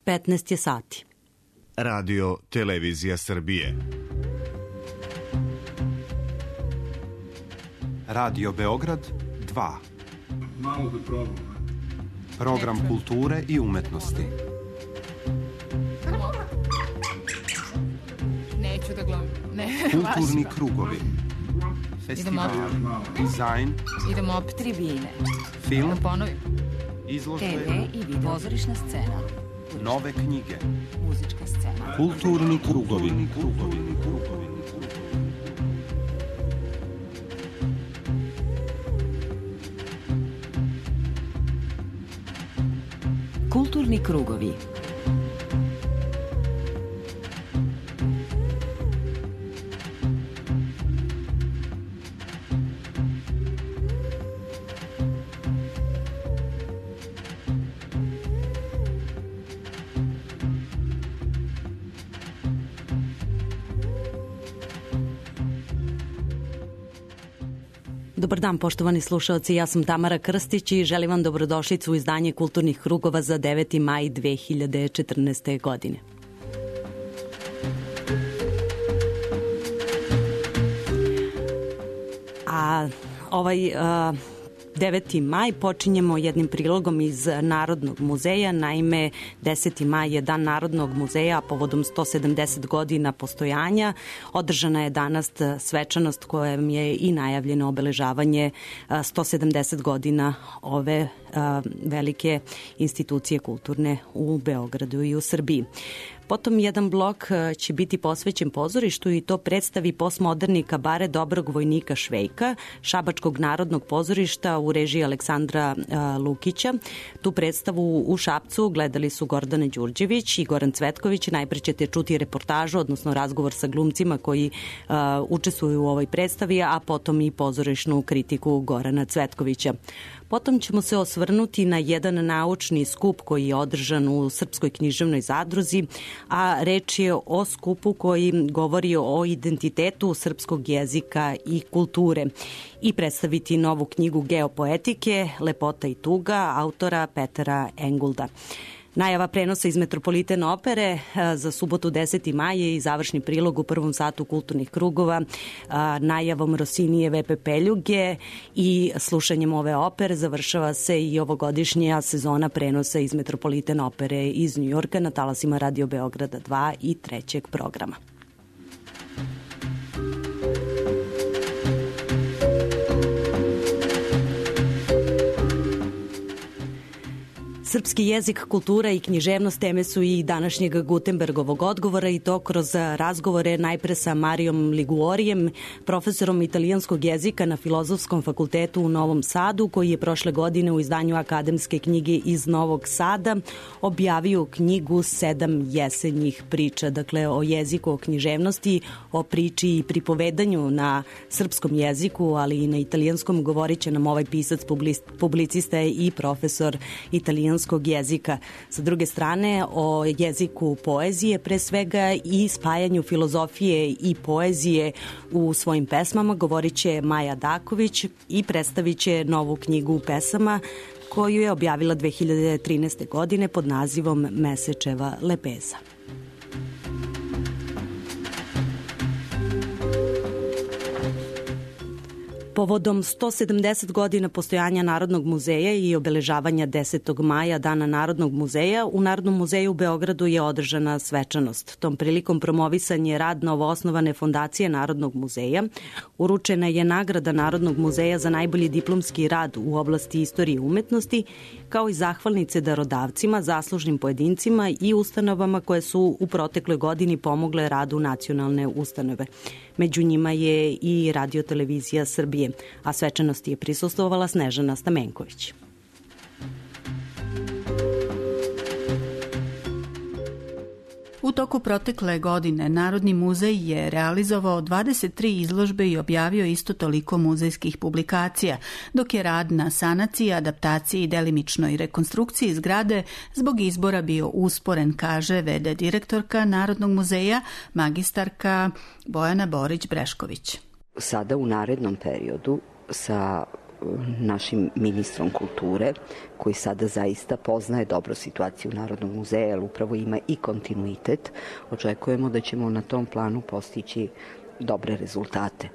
15 je sati. Radio Televizija Srbije. Radio Beograd 2. Malo da probam. Program kulture i umetnosti. Neću da gledam. Kulturni krugovi. Festival, dizajn. Idemo opet tribine. Film. Da ponovim. Izložbe. TV i video. Pozorišna scena. Nove knjige. Muzička scena. Kulturni krugovi. Kulturni krugovi. Dobar dan, poštovani slušalci, ja sam Tamara Krstić i želim vam dobrodošlicu u izdanje Kulturnih krugova za 9. maj 2014. godine. Ovaj 9. maj počinjemo jednim prilogom iz Narodnog muzeja. Naime, 10. maj je Dan Narodnog muzeja, a povodom 170 godina postojanja održana je danas svečanost kojem je i najavljeno obeležavanje 170 godina ove velike institucije kulturne u Beogradu i u Srbiji. Potom jedan blok će biti posvećen pozorištu i to predstavi postmoderni kabare Dobrog vojnika Švejka, Šabačkog narodnog pozorišta u režiji Aleksandra Lukića. Tu predstavu u Šapcu gledali su Gordana Đurđević i Goran Cvetković. Najpre ćete čuti reportažu, odnosno razgovor sa glumcima koji učestvuju u ovoj predstavi, a potom i pozorišnu kritiku Gorana Cvetkovića. Potom ćemo se osvrnuti na jedan naučni skup koji je održan u Srpskoj književnoj zadruzi, a reč je o skupu koji govori o identitetu srpskog jezika i kulture i predstaviti novu knjigu geopoetike Lepota i tuga autora Petera Engulda. Najava prenosa iz Metropoliten opere za subotu 10. maja i završni prilog u prvom satu kulturnih krugova najavom Rosinijeve Pepeljuge i slušanjem ove opere završava se i ovogodišnja sezona prenosa iz Metropoliten opere iz Njujorka na talasima Radio Beograda 2 i 3. programa. Srpski jezik, kultura i književnost teme su i današnjeg Gutenbergovog odgovora i to kroz razgovore najpre sa Marijom Liguorijem, profesorom italijanskog jezika na Filozofskom fakultetu u Novom Sadu, koji je prošle godine u izdanju Akademske knjige iz Novog Sada objavio knjigu 7 jesenjih priča, dakle o jeziku, o književnosti, o priči i pripovedanju na srpskom jeziku, ali i na italijanskom. Govorit će nam ovaj pisac, publicista i profesor italijanskog jezika. Sa druge strane, o jeziku poezije, pre svega i spajanju filozofije i poezije u svojim pesmama, govorit će Maja Daković i predstavit će novu knjigu pesama koju je objavila 2013. godine pod nazivom Mesečeva lepeza. Povodom 170 godina postojanja Narodnog muzeja i obeležavanja 10. maja Dana Narodnog muzeja, u Narodnom muzeju u Beogradu je održana svečanost. Tom prilikom promovisan je rad novoosnovane fondacije Narodnog muzeja. Uručena je nagrada Narodnog muzeja za najbolji diplomski rad u oblasti istorije i umetnosti, kao i zahvalnice darodavcima, zaslužnim pojedincima i ustanovama koje su u protekloj godini pomogle radu nacionalne ustanove. Među njima je i Radio Televizija Srbije, a svečanosti je prisustvovala Snežana Stamenković. U toku protekle godine Narodni muzej je realizovao 23 izložbe i objavio isto toliko muzejskih publikacija, dok je rad na sanaciji, adaptaciji i delimičnoj rekonstrukciji zgrade zbog izbora bio usporen, kaže v.d. direktorka Narodnog muzeja, magistarka Bojana Borić-Brešković. Sada u narednom periodu sa našim ministrom kulture, koji sada zaista poznaje dobro situaciju Narodnog muzeja, jer upravo ima i kontinuitet. Očekujemo da ćemo na tom planu postići dobre rezultate.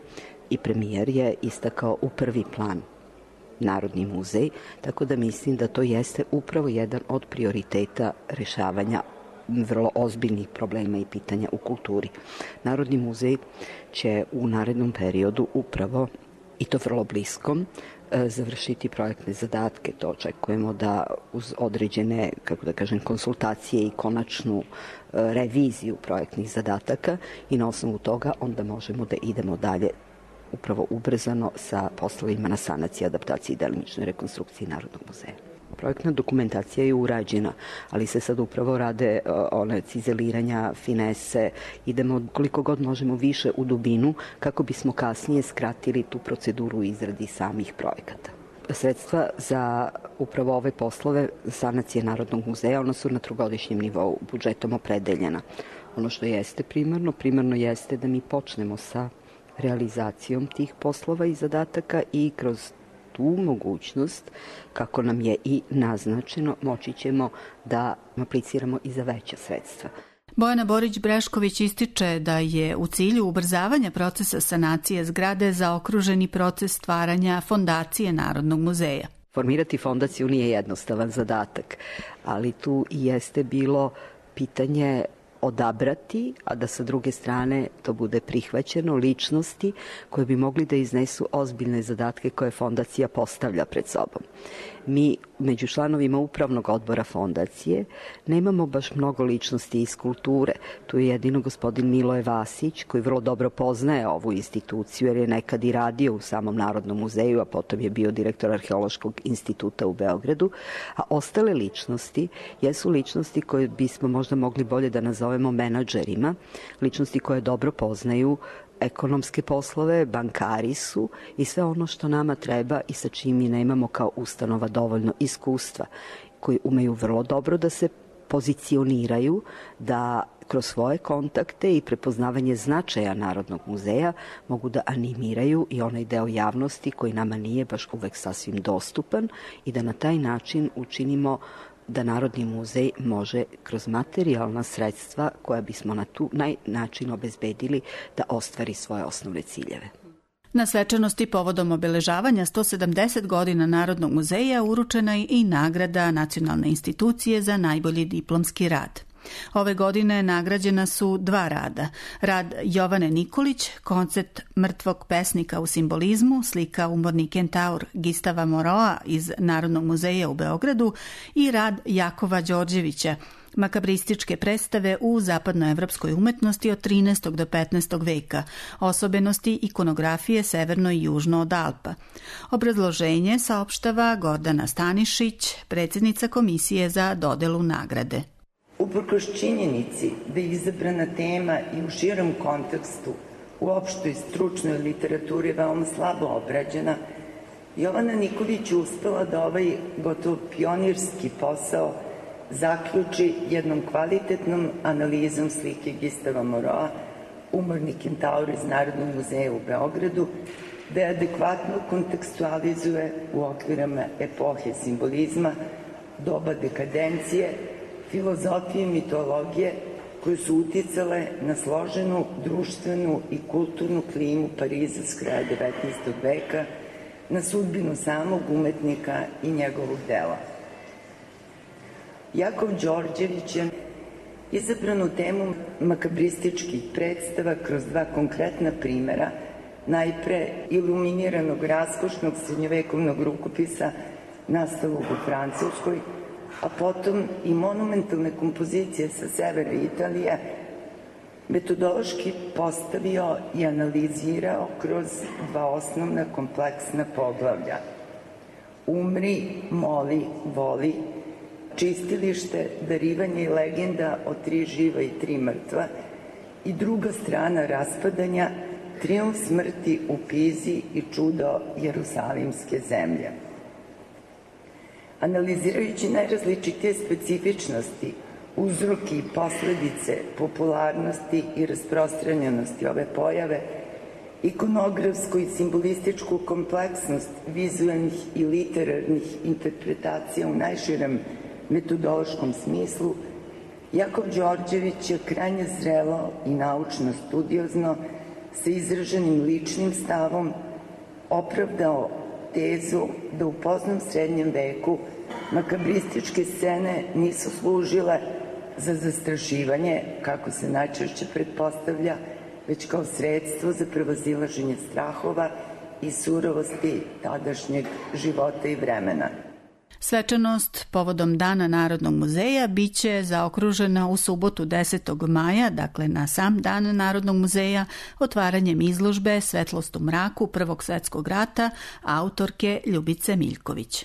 I premijer je istakao u prvi plan Narodni muzej, tako da mislim da to jeste upravo jedan od prioriteta rešavanja vrlo ozbiljnih problema i pitanja u kulturi. Narodni muzej će u narednom periodu upravo, i to vrlo bliskom, završiti projektne zadatke. To očekujemo da uz određene, konsultacije i konačnu reviziju projektnih zadataka i na osnovu toga onda možemo da idemo dalje upravo ubrzano sa poslovima na sanaciji, adaptaciji i delimičnoj rekonstrukciji Narodnog muzeja. Projektna dokumentacija je urađena, ali se sad upravo rade one cizeliranja, finese, idemo koliko god možemo više u dubinu kako bismo kasnije skratili tu proceduru izradi samih projekata. Sredstva za upravo ove poslove sanacije Narodnog muzeja, ona su na trogodišnjem nivou budžetom opredeljena. Ono što jeste primarno jeste da mi počnemo sa realizacijom tih poslova i zadataka i kroz tu mogućnost, kako nam je i naznačeno, moći ćemo da apliciramo i za veća sredstva. Bojana Borić-Brešković ističe da je u cilju ubrzavanja procesa sanacije zgrade zaokruženi proces stvaranja fondacije Narodnog muzeja. Formirati fondaciju nije jednostavan zadatak, ali tu i jeste bilo pitanje odabrati, a da sa druge strane to bude prihvaćeno, ličnosti koje bi mogli da iznesu ozbiljne zadatke koje fondacija postavlja pred sobom. Mi među članovima upravnog odbora fondacije nemamo baš mnogo ličnosti iz kulture. Tu je jedino gospodin Miloje Vasić, koji vrlo dobro poznaje ovu instituciju jer je nekad i radio u samom Narodnom muzeju, a potom je bio direktor Arheološkog instituta u Beogradu, a ostale ličnosti jesu ličnosti koje bismo možda mogli bolje da nazovemo menadžerima, ličnosti koje dobro poznaju ekonomske poslove, bankari su i sve ono što nama treba i sa čim mi nemamo kao ustanova dovoljno iskustva, koji umeju vrlo dobro da se pozicioniraju, da kroz svoje kontakte i prepoznavanje značaja Narodnog muzeja mogu da animiraju i onaj deo javnosti koji nama nije baš uvek sasvim dostupan i da na taj način učinimo da Narodni muzej može kroz materijalna sredstva koja bismo na tu način obezbedili da ostvari svoje osnovne ciljeve. Na svečanosti povodom obeležavanja 170 godina Narodnog muzeja uručena je i nagrada Nacionalne institucije za najbolji diplomski rad. Ove godine nagrađena su 2 rada. Rad Jovane Nikolić, koncept mrtvog pesnika u simbolizmu, slika umorni kentaur Gistava Moroa iz Narodnog muzeja u Beogradu i rad Jakova Đorđevića, makabrističke predstave u zapadnoevropskoj umetnosti od 13. do 15. veka, osobenosti ikonografije severno i južno od Alpa. Obrazloženje saopštava Gordana Stanišić, predsjednica Komisije za dodelu nagrade. Uprkos činjenici da je izabrana tema i u širom kontekstu u opštoj stručnoj literaturi veoma slabo obrađena, Jovana Nikolić je uspela da ovaj gotovo pionirski posao zaključi jednom kvalitetnom analizom slike Gistava Moroa, umorni kentaur iz Narodnog muzeja u Beogradu, da je adekvatno kontekstualizuje u okvirama epohe simbolizma, doba dekadencije, filozofije i mitologije koje su uticale na složenu društvenu i kulturnu klimu Pariza s kraja 19. veka, na sudbinu samog umetnika i njegovog dela. Jakov Đorđević je izabranu temu makabrističkih predstava kroz 2 konkretna primera, najpre iluminiranog raskošnog srednjovekovnog rukopisa nastalog u Francuskoj, a potom i monumentalne kompozicije sa severa Italije, metodološki postavio i analizirao kroz 2 osnovna kompleksna poglavlja. Umri, moli, voli, čistilište, darivanje i legenda o 3 živa i 3 mrtva i druga strana raspadanja, trijumf smrti u Pizi i čudo Jerusalimske zemlje. Analizirajući najrazličitije specifičnosti, uzroki i posledice popularnosti i rasprostranjenosti ove pojave, ikonografsku i simbolističku kompleksnost vizualnih i literarnih interpretacija u najširem metodološkom smislu, Jakov Đorđević je krajnje zrelo i naučno studiozno sa izraženim ličnim stavom opravdao tezu da u poznom srednjem veku makabrističke scene nisu služile za zastrašivanje, kako se najčešće pretpostavlja, već kao sredstvo za prevazilaženje strahova i surovosti tadašnjeg života i vremena. Svečanost povodom Dana Narodnog muzeja biće zaokružena u subotu 10. maja, dakle na sam Dan Narodnog muzeja, otvaranjem izložbe Svetlost u mraku Prvog svetskog rata autorke Ljubice Miljković.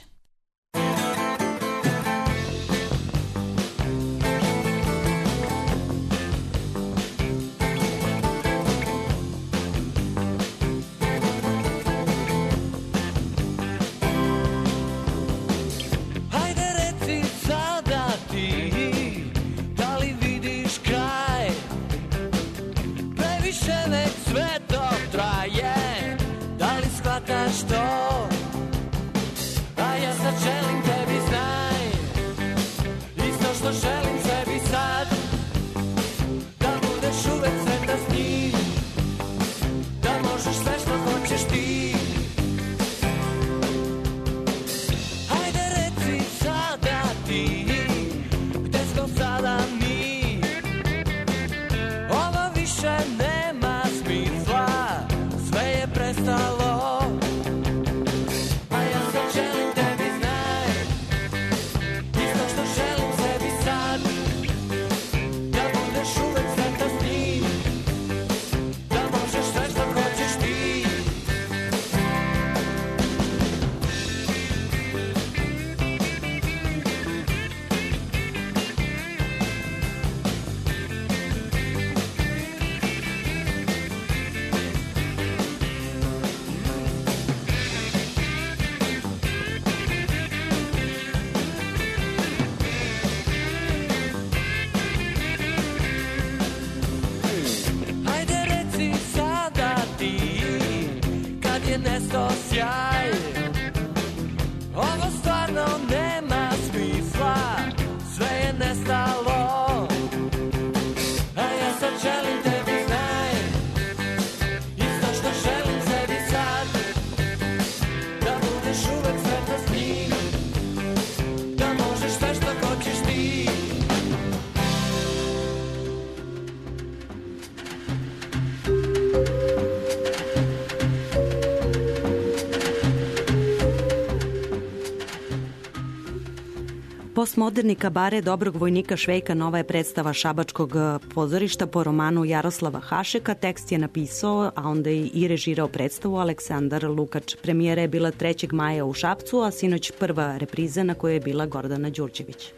Postmoderni kabare Dobrog vojnika Švejka nova je predstava Šabačkog pozorišta po romanu Jaroslava Hašeka. Tekst je napisao, a onda i režirao predstavu Aleksandar Lukač. Premijera je bila 3. maja u Šapcu, a sinoć prva repriza na kojoj je bila Gordana Đurđević.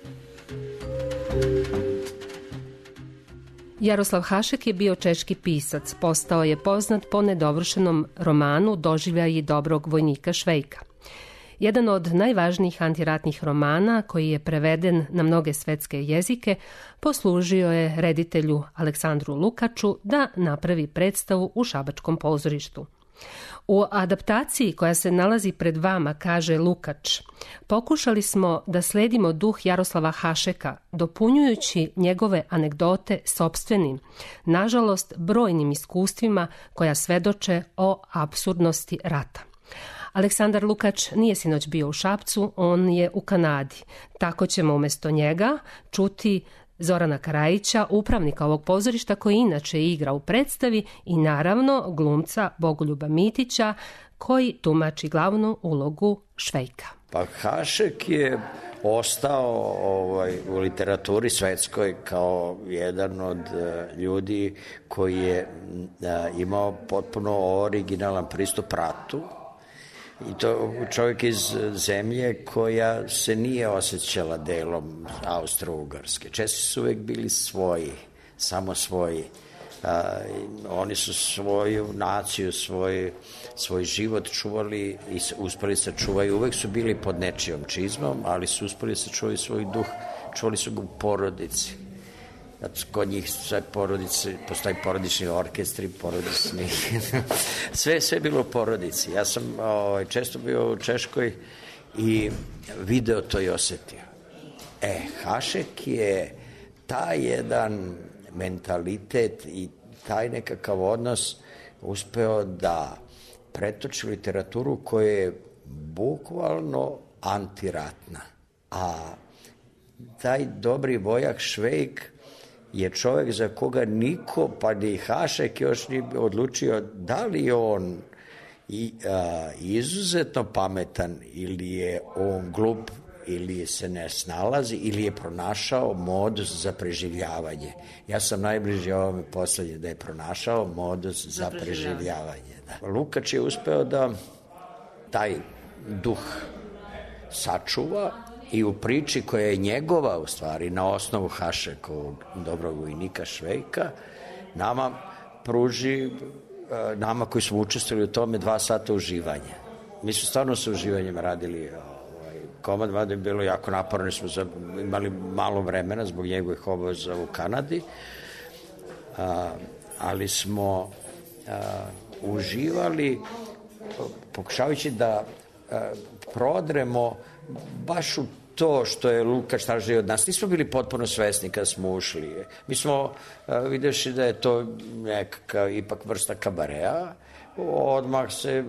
Jaroslav Hašek je bio češki pisac. Postao je poznat po nedovršenom romanu Doživljaji Dobrog vojnika Švejka. Jedan od najvažnijih antiratnih romana, koji je preveden na mnoge svetske jezike, poslužio je reditelju Aleksandru Lukaču da napravi predstavu u Šabačkom pozorištu. U adaptaciji koja se nalazi pred vama, kaže Lukač, pokušali smo da sledimo duh Jaroslava Hašeka, dopunjujući njegove anegdote sopstvenim, nažalost brojnim iskustvima koja svedoče o apsurdnosti rata. Aleksandar Lukač nije sinoć bio u Šapcu, on je u Kanadi. Tako ćemo umjesto njega čuti Zorana Karajića, upravnika ovog pozorišta koji inače igra u predstavi, i naravno glumca Bogoljuba Mitića koji tumači glavnu ulogu Švejka. Pa Hašek je ostao u literaturi svetskoj kao jedan od ljudi koji je imao potpuno originalan pristup ratu. I to čovjek iz zemlje koja se nije osjećala delom Austro-Ugarske. Česi su uvijek bili svoji, samo svoji. Oni su svoju naciju, svoj život čuvali i uspeli sačuvaju. Uvijek su bili pod nečijom čizmom, ali su uspeli sačuvati svoj duh. Čuvali su ga u porodici. kod njih sve porodice, postoji porodični orkestri, porodični, sve bilo u porodici. Ja sam često bio u Češkoj i video to i osetio. Hašek je taj jedan mentalitet i taj nekakav odnos uspeo da pretoči literaturu koja je bukvalno antiratna. A taj dobri vojak Švejk je čovjek za koga niko, pa ni Hašek još nije odlučio da li on izuzetno pametan ili je on glup ili se ne snalazi ili je pronašao modus za preživljavanje. Ja sam najbliži ovome poslednje, da je pronašao modus za preživljavanje. Da. Lukač je uspeo da taj duh sačuva i u priči koja je njegova u stvari na osnovu Hašekovog dobrog vojnika Švejka nama pruži, nama koji smo učestvovali u tome 2 sata uživanja. Mi smo stvarno sa uživanjem radili komad, mada je bilo jako naporno, smo imali malo vremena zbog njegovih obaveza u Kanadi, ali smo uživali pokušavajući da prodremo baš u to što je Lukač tražio od nas. Nismo bili potpuno svesni kad smo ušli. Mi smo vidjeli da je to nekakav ipak vrsta kabarea. Odmah se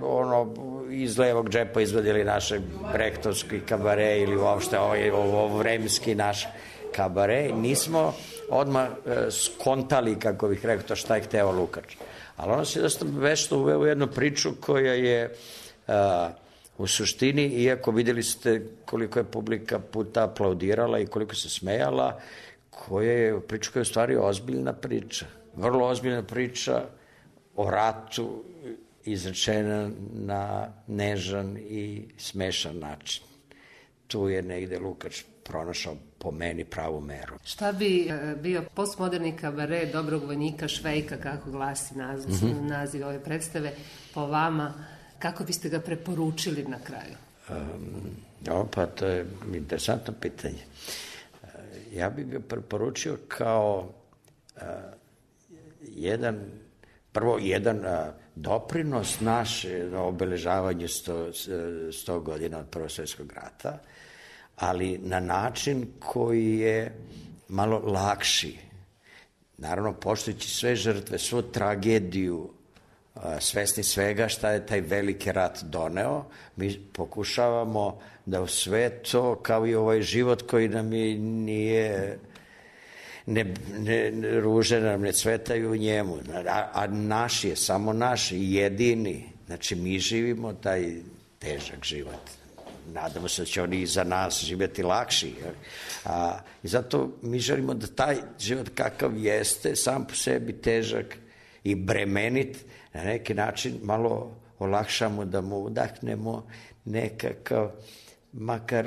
iz levog džepa izvadili naše brehtovski kabare ili uopšte ovo vremski naš kabare. Nismo odmah skontali, kako bih rekao, šta je hteo Lukač. Ali ono se dosta vešto uveo u jednu priču koja je u suštini, iako vidjeli ste koliko je publika puta aplaudirala i koliko se smejala, koja je priča koja je u stvari ozbiljna priča. Vrlo ozbiljna priča o ratu izrečena na nežan i smešan način. Tu je negde Lukač pronašao po meni pravu meru. Šta bi bio postmoderni kabare dobrog vojnika Švejka, kako glasi naziv ove predstave, po vama, kako biste ga preporučili na kraju? Pa to je interesantno pitanje. Ja bih ga preporučio kao jedan doprinos naše na obeležavanju 100 godina od Prvog svjetskog rata, ali na način koji je malo lakši. Naravno, poštujući sve žrtve, svu tragediju, svesni svega šta je taj veliki rat doneo, mi pokušavamo da u sve to, kao i ovaj život koji nam nije ruže nam ne cvetaju u njemu, a naš je, samo naš, jedini. Znači, mi živimo taj težak život. Nadamo se da će oni za nas živjeti lakši. I zato mi želimo da taj život kakav jeste, sam po sebi težak i bremenit, na neki način malo olakšamo, da mu udahnemo nekakav, makar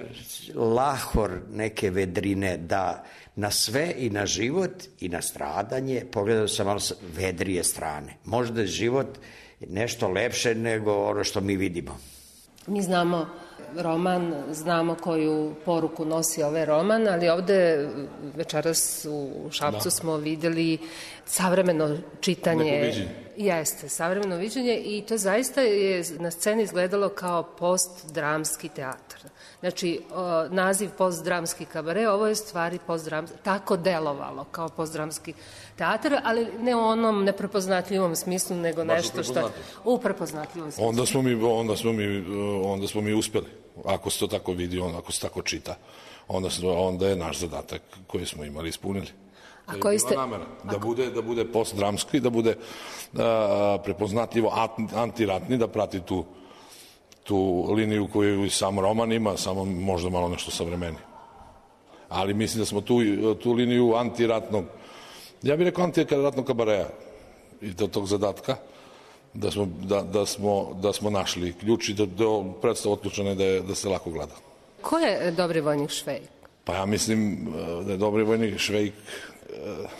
lahor neke vedrine, da na sve i na život i na stradanje pogledamo sa malo vedrije strane. Možda je život nešto lepše nego ono što mi vidimo. Mi znamo roman, znamo koju poruku nosi ovaj roman, ali ovde večeras u Šapcu smo videli savremeno čitanje. Jeste, savremeno viđenje i to zaista je na sceni izgledalo kao postdramski teatar. Znači, naziv postdramski kabare, ovo je stvari postdramski, tako delovalo kao postdramski teatar, ali ne u onom neprepoznatljivom smislu, nego nešto što je u prepoznatljivom smislu. Onda smo mi uspeli. Ako se to tako vidi, ako se tako čita, onda je naš zadatak koji smo imali ispunili. A koji ste... namera, da bude postdramski, da bude prepoznatljivo antiratni, da prati tu liniju koju i sam roman ima, samo možda malo nešto savremeni. Ali mislim da smo tu liniju antiratnog, ja bih rekao antiratnog kabareja i tog zadatka, da smo našli ključ i da predstava otključena da se lako gleda. Ko je dobri vojnik Švejk? Pa ja mislim da je dobri vojnik Švejk,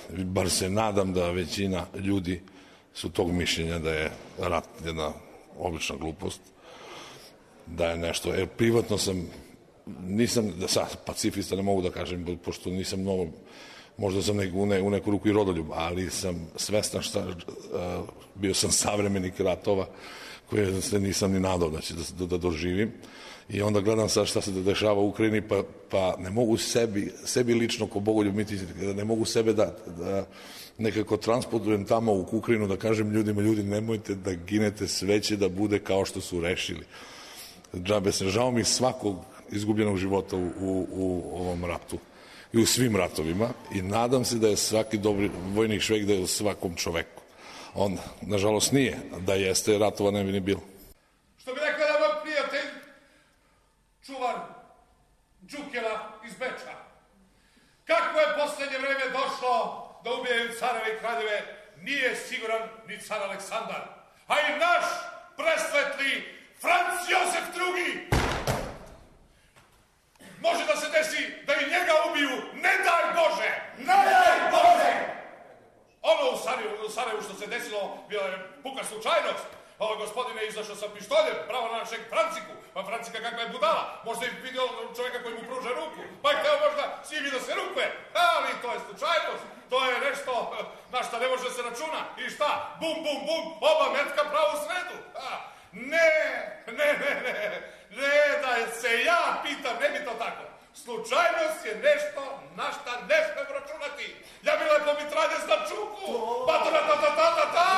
bar se nadam da većina ljudi su tog mišljenja da je rat jedna obična glupost, da je nešto, privatno nisam sad pacifista, ne mogu da kažem, pošto nisam mnogo možda sam u neku ruku i rodoljub, ali sam svestan bio sam savremenik ratova koje se nisam ni nadao da će da doživim. I onda gledam sad šta se dešava u Ukrajini, pa ne mogu sebi lično ko Bogoljub Mitić, ne mogu sebe da nekako transportujem tamo u Ukrajinu, da kažem ljudima, ljudi, nemojte da ginete, sve će da bude kao što su rešili. Džabe se, žao mi svakog izgubljenog života u ovom ratu i u svim ratovima i nadam se da je svaki dobri vojnik Švejk, da je u svakom čoveku. Onda, nažalost nije, da jeste, ratova ne bi ni bilo. Što bi rekao da moj prijatelj, čuvar Đukela iz Beča, kako je poslednje vreme došlo da ubijaju careve i kraljeve, nije siguran ni car Aleksandar, a i naš presvetli Franc Josef II. Može da se desi da i njega ubiju, ne daj Bože! Ne daj Bože! Ono u Sarajevu što se desilo, bila je puka slučajnost. Ovo gospodine je izašao sa pištoljem, pravo na našeg Franciku. Pa Francika kakva je budala, možda je vidio čovjeka koji mu pruža ruku, pa je hteo možda s njim da se rukuje. Ali to je slučajnost, to je nešto na šta ne može se računa. I šta? Bum, bum, bum, oba metka pravo u sredu. Ne, da se ja pitam, ne bi to tako. Slučajnost je nešto na šta ne smem računati. Ja bi lepo mitraljez na čuku. Pa-ta-ta-ta-ta-ta-ta!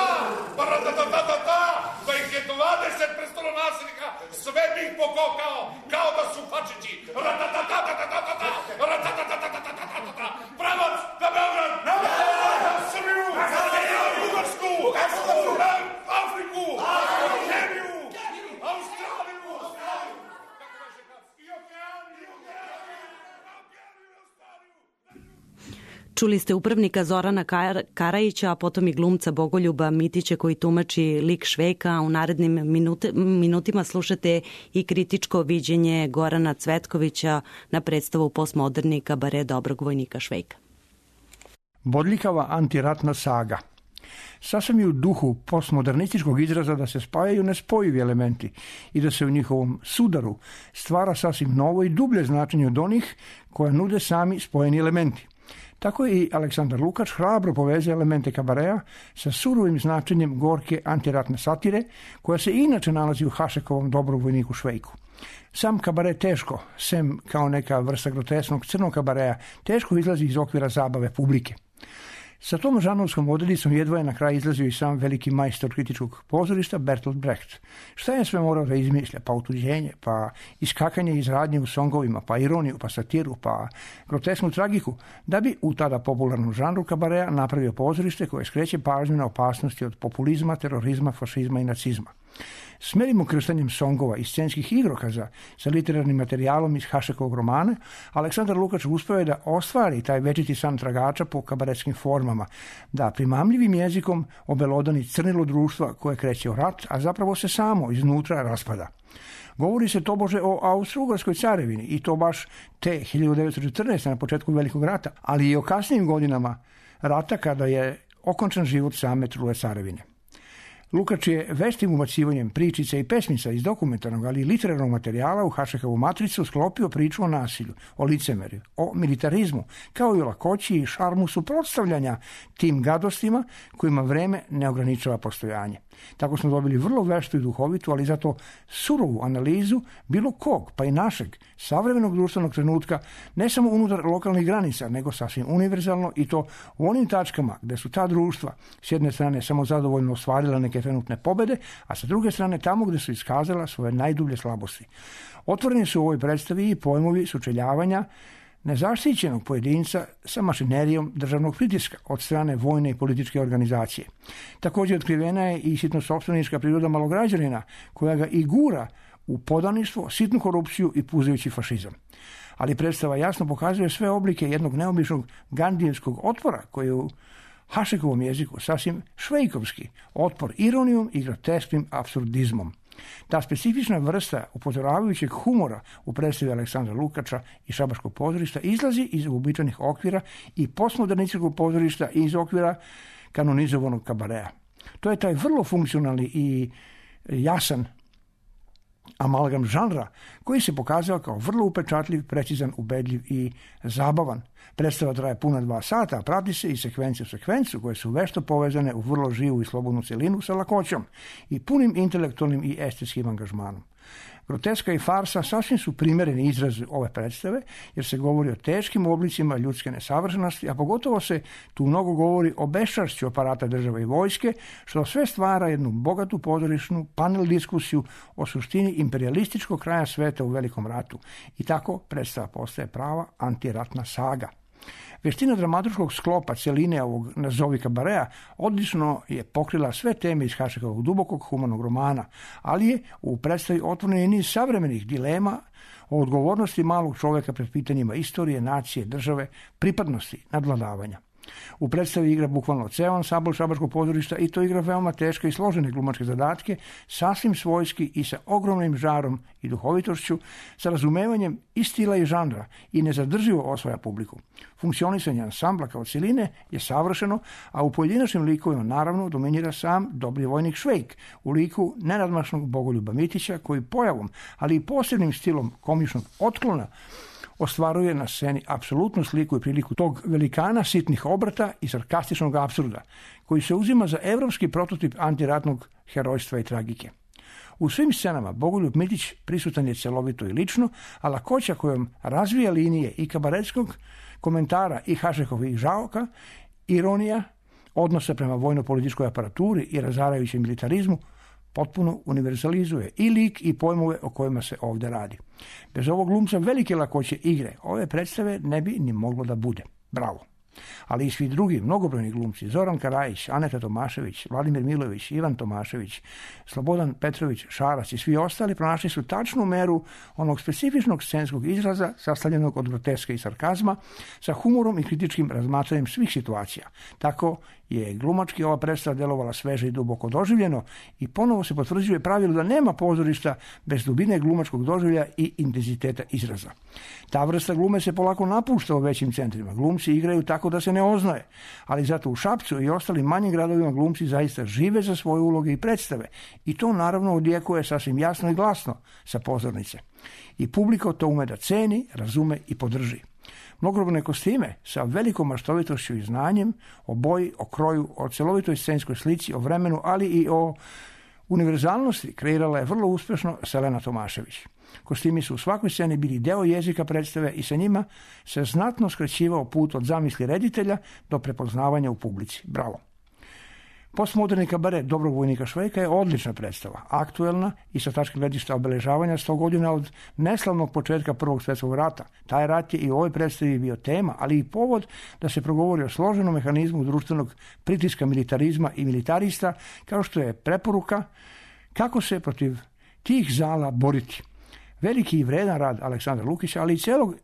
Pa-ra-ta-ta-ta-ta-ta! Da ih je 20 prestolonasljednika, sve bi ih pokokao, kao da su fačići. Ra-ta-ta-ta-ta-ta-ta-ta! Ra-ta-ta-ta-ta-ta-ta-ta-ta! Pravac na Beograd! Na Beograd! Na Srbiju! Bugarsku! Afriku! Keniju! Australiju! Čuli ste upravnika Zorana Karajića, a potom i glumca Bogoljuba Mitića koji tumači lik Švejka, a u narednim minutima slušate i kritičko viđenje Gorana Cvetkovića na predstavu postmoderni kabare dobrog vojnika Švejka. Bodljikava antiratna saga. Sasvim je u duhu postmodernističkog izraza da se spajaju nespojivi elementi i da se u njihovom sudaru stvara sasvim novo i dublje značenje od onih koja nude sami spojeni elementi. Tako je i Aleksandar Lukač hrabro povezuje elemente kabarea sa surovim značenjem gorke antiratne satire, koja se inače nalazi u Hašekovom dobrog vojniku Švejku. Sam kabare teško, sem kao neka vrsta grotesnog crnog kabarea, teško izlazi iz okvira zabave publike. Sa tom žanrovskom odredicom jedva je na kraj izlazio i sam veliki majstor kritičkog pozorišta Bertolt Brecht. Šta je sve morao da izmišlja? Pa utuđenje, pa iskakanje iz radnje u songovima, pa ironiju, pa satiru, pa grotesnu tragiku, da bi u tada popularnom žanru kabarea napravio pozorište koje skreće pažnju na opasnosti od populizma, terorizma, fašizma i nacizma. Smerim ukrštanjem songova i scenskih igrokaza sa literarnim materijalom iz Hašekovog romana, Aleksandar Lukač uspeo je da ostvari taj večiti san tragača po kabaretskim formama, da primamljivim jezikom obelodani crnilo društva koje kreće u rat, a zapravo se samo iznutra raspada. Govori se tobože o Austro-Ugarskoj carevini i to baš te 1914. na početku Velikog rata, ali i o kasnijim godinama rata kada je okončan život same trule carevine. Lukač je veštim ubacivanjem pričica i pesmica iz dokumentarnog, ali i literarnog materijala u Hašekovu matricu sklopio priču o nasilju, o licemerju, o militarizmu, kao i o lakoći i šarmu suprotstavljanja tim gadostima kojima vreme ne ograničava postojanje. Tako smo dobili vrlo veštu i duhovitu, ali zato surovu analizu bilo kog, pa i našeg, savremenog društvenog trenutka, ne samo unutar lokalnih granica, nego sasvim univerzalno i to u onim tačkama gde su ta društva s jedne strane samo zadovoljno ostvarila neke trenutne pobede, a sa druge strane tamo gde su iskazala svoje najdublje slabosti. Otvoreni su u ovoj predstavi i pojmovi sučeljavanja nezaštićenog pojedinca sa mašinerijom državnog pritiska od strane vojne i političke organizacije. Također otkrivena je i sitno-sopstvenička priroda malograđanina, koja ga i gura u podaništvo, sitnu korupciju i puzajući fašizam. Ali predstava jasno pokazuje sve oblike jednog neobičnog gandijevskog otpora koji je u Hašekovom jeziku sasvim švejkovski otpor ironijom i grotesknim apsurdizmom. Ta specifična vrsta upozoravajućeg humora u predstavi Aleksandra Lukača i Šabaškog pozorišta izlazi iz uobičajenih okvira i postmodernističkog pozorišta iz okvira kanonizovanog kabarea. To je taj vrlo funkcionalni i jasan amalgam žanra koji se pokazao kao vrlo upečatljiv, precizan, ubedljiv i zabavan. Predstava traje puna 2 sata, a prati se i sekvencije u sekvencu koje su vešto povezane u vrlo živu i slobodnu celinu sa lakoćom i punim intelektualnim i estetskim angažmanom. Groteska i farsa sasvim su primereni izrazi ove predstave, jer se govori o teškim oblicima ljudske nesavršenosti, a pogotovo se tu mnogo govori o beščašću aparata države i vojske, što sve stvara jednu bogatu pozorišnu panel diskusiju o suštini imperialističkog kraja sveta u Velikom ratu. I tako predstava postaje prava antiratna saga. Veština dramaturškog sklopa celine ovog nazovi kabarea odlično je pokrila sve teme iz Hašekovog dubokog humanog romana, ali je u predstavi otvoren i niz savremenih dilema o odgovornosti malog čoveka pred pitanjima istorije, nacije, države, pripadnosti, nadvladavanja. U predstavi igra bukvalno ceo ansambl šabačkog pozorišta i to igra veoma teške i složene glumačke zadatke, sasvim svojski i sa ogromnim žarom i duhovitošću, sa razumevanjem i stila i žanra i nezadrživo osvaja publiku. Funkcionisanje ansambla kao cijeline je savršeno, a u pojedinačnim likovima naravno dominira sam dobri vojnik Švejk u liku nenadmašnog Bogoljuba Mitića koji pojavom, ali i posebnim stilom komičnog otklona ostvaruje na sceni apsolutnu sliku i priliku tog velikana sitnih obrata i sarkastičnog apsurda, koji se uzima za evropski prototip antiratnog herojstva i tragike. U svim scenama Bogoljub Mitić prisutan je celovito i lično, a lakoća kojom razvija linije i kabaretskog komentara i Hašekovih žaoka, ironija, odnosa prema vojno-političkoj aparaturi i razarajućem militarizmu, potpuno univerzalizuje i lik i pojmove o kojima se ovdje radi. Bez ovog glumca velike lakoće igre ove predstave ne bi ni moglo da bude. Bravo! Ali i svi drugi mnogobrojni glumci, Zoran Karajić, Aneta Tomašević, Vladimir Milović, Ivan Tomašević, Slobodan Petrović, Šarac i svi ostali pronašli su tačnu meru onog specifičnog scenskog izraza sastavljenog od groteske i sarkazma sa humorom i kritičkim razmatranjem svih situacija. Tako je glumački ova predstava delovala sveže i duboko doživljeno i ponovo se potvrđuje pravilo da nema pozorišta bez dubine glumačkog doživlja i intenziteta izraza. Ta vrsta glume se polako napušta u većim centrima. Glumci igraju tako da se ne oznaje, ali zato u Šapcu i ostalim manjim gradovima glumci zaista žive za svoje uloge i predstave i to naravno odjekuje sasvim jasno i glasno sa pozornice. I publika to ume da ceni, razume i podrži. Mnogobrojne kostime sa velikom maštovitošću i znanjem o boji, o kroju, o celovitoj scenskoj slici, o vremenu, ali i o univerzalnosti kreirala je vrlo uspješno Selena Tomašević. Kostimi su u svakoj sceni bili deo jezika predstave i sa njima se znatno skraćivao put od zamisli reditelja do prepoznavanja u publici. Bravo! Postmoderni kabaret Dobrog vojnika Švejka je odlična predstava, aktuelna i sa tačke gledišta obeležavanja 100 godina od neslavnog početka Prvog svjetskog rata. Taj rat je i u ovoj predstavi bio tema, ali i povod da se progovori o složenom mehanizmu društvenog pritiska militarizma i militarista, kao što je preporuka kako se protiv tih zala boriti. Veliki i vredan rad Aleksandra Lukića, ali i celog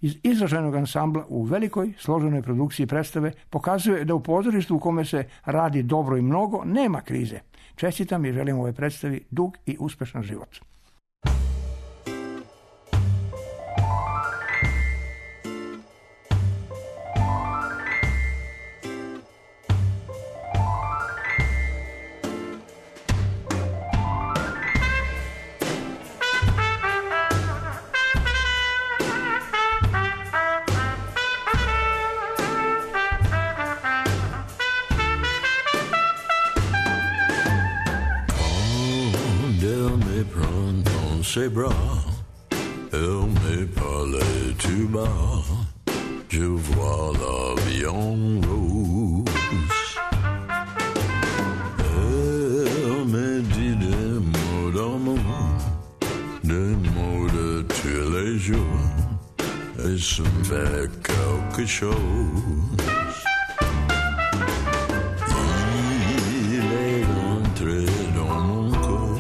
iz izraženog ansambla u velikoj složenoj produkciji predstave pokazuje da u pozorištu u kome se radi dobro i mnogo nema krize. Čestitam i želim ovoj predstavi dug i uspešan život. C'est bras, elle me parlait tout bas, je vois la vie en rose. Elle me dit des mots d'amour, des mots de tous les jours, et ça me fait quelque chose. Il est entré dans mon corps,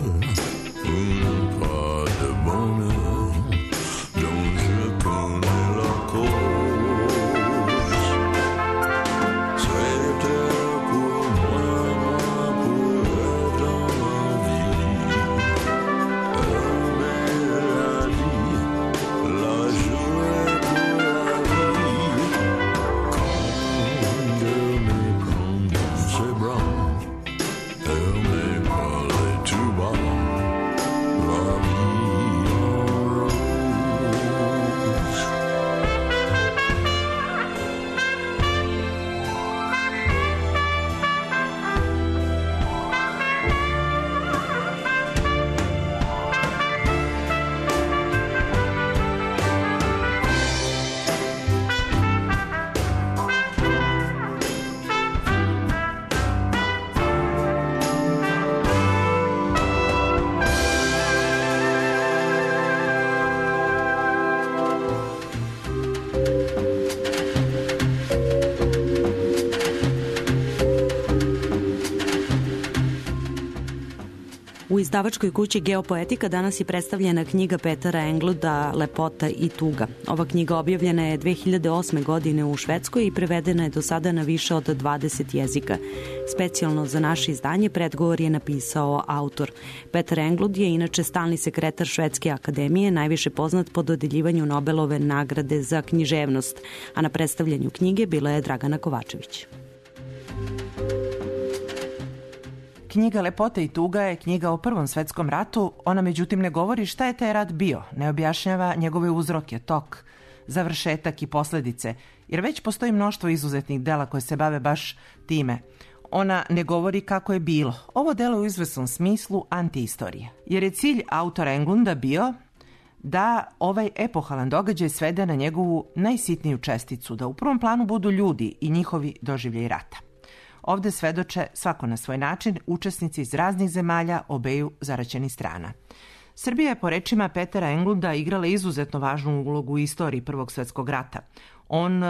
izdavačkoj kući Geopoetika danas je predstavljena knjiga Petera Engluda Lepota i tuga. Ova knjiga objavljena je 2008. godine u Švedskoj i prevedena je do sada na više od 20 jezika. Specijalno za naše izdanje predgovor je napisao autor. Peter Englund je inače stalni sekretar Švedske akademije, najviše poznat po dodeljivanju Nobelove nagrade za književnost, a na predstavljanju knjige bila je Dragana Kovačević. Knjiga Lepota i tuga je knjiga o Prvom svetskom ratu, ona međutim ne govori šta je taj rat bio, ne objašnjava njegove uzroke, tok, završetak i posledice, jer već postoji mnoštvo izuzetnih dela koje se bave baš time. Ona ne govori kako je bilo. Ovo delo je u izvesnom smislu antiistorija, jer je cilj autora Englunda bio da ovaj epohalan događaj svede na njegovu najsitniju česticu, da u prvom planu budu ljudi i njihovi doživljaj rata. Ovde svedoče, svako na svoj način, učesnici iz raznih zemalja obeju zaraćenih strana. Srbija je po rečima Petera Englunda igrala izuzetno važnu ulogu u istoriji Prvog svetskog rata. On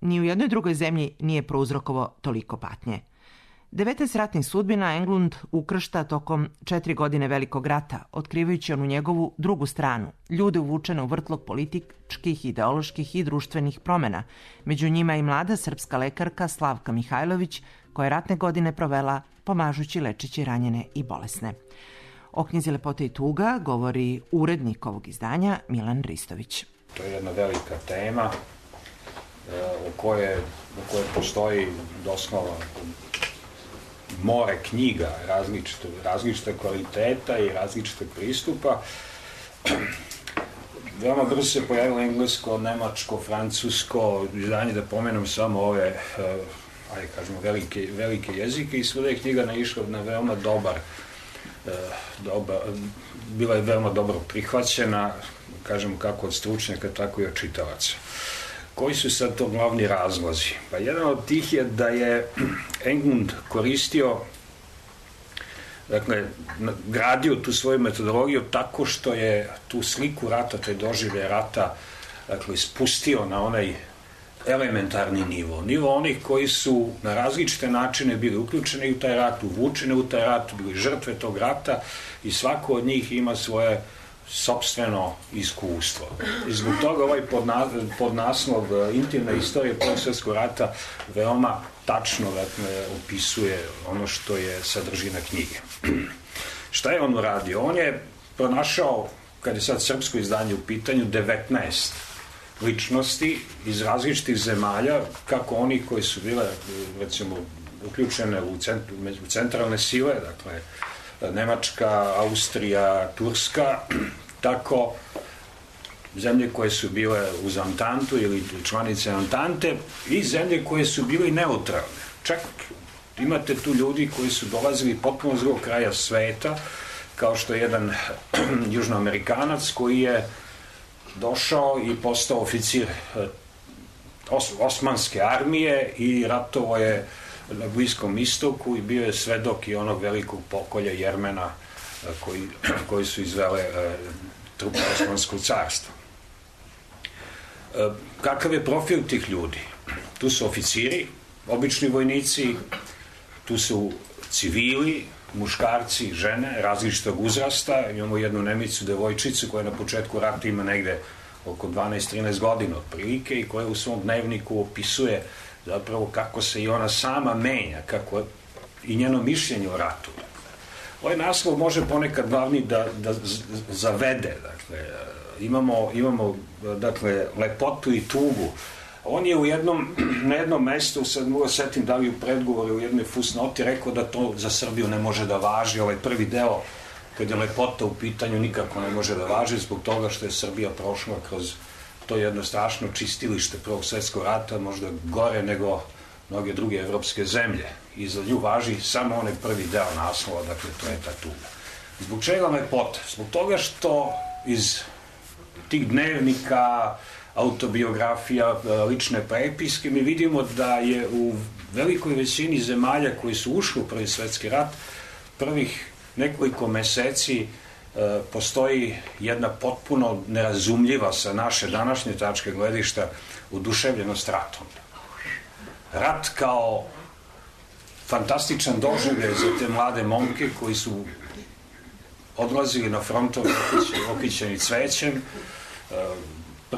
ni u jednoj drugoj zemlji nije prouzrokovao toliko patnje. 19 ratnih sudbina Englund ukršta tokom 4 godine Velikog rata, otkrivajući onu njegovu drugu stranu, ljude uvučene u vrtlog političkih, ideoloških i društvenih promena. Među njima i mlada srpska lekarka Slavka Mihajlović, koja je ratne godine provela pomažući lečeći ranjene i bolesne. O knjizi Lepota i tuga govori urednik ovog izdanja Milan Ristović. To je jedna velika tema u kojoj postoji doslovno more knjiga različite kvaliteta i različitog pristupa. Veoma brzo se pojavilo englesko, nemačko, francusko izdanje, da pomenem samo ove velike jezike, i svuda je knjiga naišla na veoma bila je veoma dobro prihvaćena, kažemo kako od stručnjaka, tako i od čitalaca. Koji su sad to glavni razlozi? Pa jedan od tih je da je Englund koristio, dakle, gradio tu svoju metodologiju tako što je tu sliku rata, te doživlje rata, dakle, spustio na onaj elementarni nivo onih koji su na različite načine bili uključeni u taj rat, uvučeni u taj rat, bili žrtve tog rata i svako od njih ima svoje sopstveno iskustvo. I zbog toga ovaj podnaslov Intimna istorija Prvog svjetskog rata veoma tačno, dakle, opisuje ono što je sadržina knjige. Šta je on uradio? On je pronašao, kad je sad srpsko izdanje u pitanju, 19 ličnosti iz različitih zemalja, kako oni koji su bile, recimo, uključene u centralne sile, dakle, Nemačka, Austrija, Turska, tako zemlje koje su bile uz Antantu ili članice Antante i zemlje koje su bile neutralne. Čak imate tu ljudi koji su dolazili potpuno s drugog kraja sveta, kao što je jedan južnoamerikanac koji je došao i postao oficir Osmanske armije i ratovao je na Bliskom istoku i bio je svedok i onog velikog pokolja Jermena koji su izvele trupe Osmanskog carstva. Kakav je profil tih ljudi? Tu su oficiri, obični vojnici, tu su civili, muškarci, žene, različitog uzrasta. Imamo jednu Nemicu, devojčicu koja na početku rata ima negde oko 12-13 godina otprilike i koja u svom dnevniku opisuje zapravo kako se i ona sama menja, kako i njeno mišljenje o ratu. Ovaj naslov može ponekad glavni da zavede. Dakle, imamo dakle, lepotu i tugu. On je na jednom mestu, sad mogu setim da li u predgovoru u jednoj fusnoti rekao da to za Srbiju ne može da važi. Ovaj prvi deo, kad je lepota u pitanju, nikako ne može da važi zbog toga što je Srbija prošla kroz to jedno strašno čistilište Prvog svjetskog rata, možda gore nego mnoge druge evropske zemlje. I za nju važi samo onaj prvi deo naslova, dakle to je ta tuga. Zbog čega lepota? Zbog toga što iz tih dnevnika, autobiografija, lične prepiske, mi vidimo da je u velikoj većini zemalja koji su ušli u Prvi svjetski rat, prvih nekoliko meseci postoji jedna potpuno nerazumljiva sa naše današnje tačke gledišta oduševljenost ratom. Rat kao fantastičan doživljaj za te mlade momke koji su odlazili na frontove okićeni cvećem,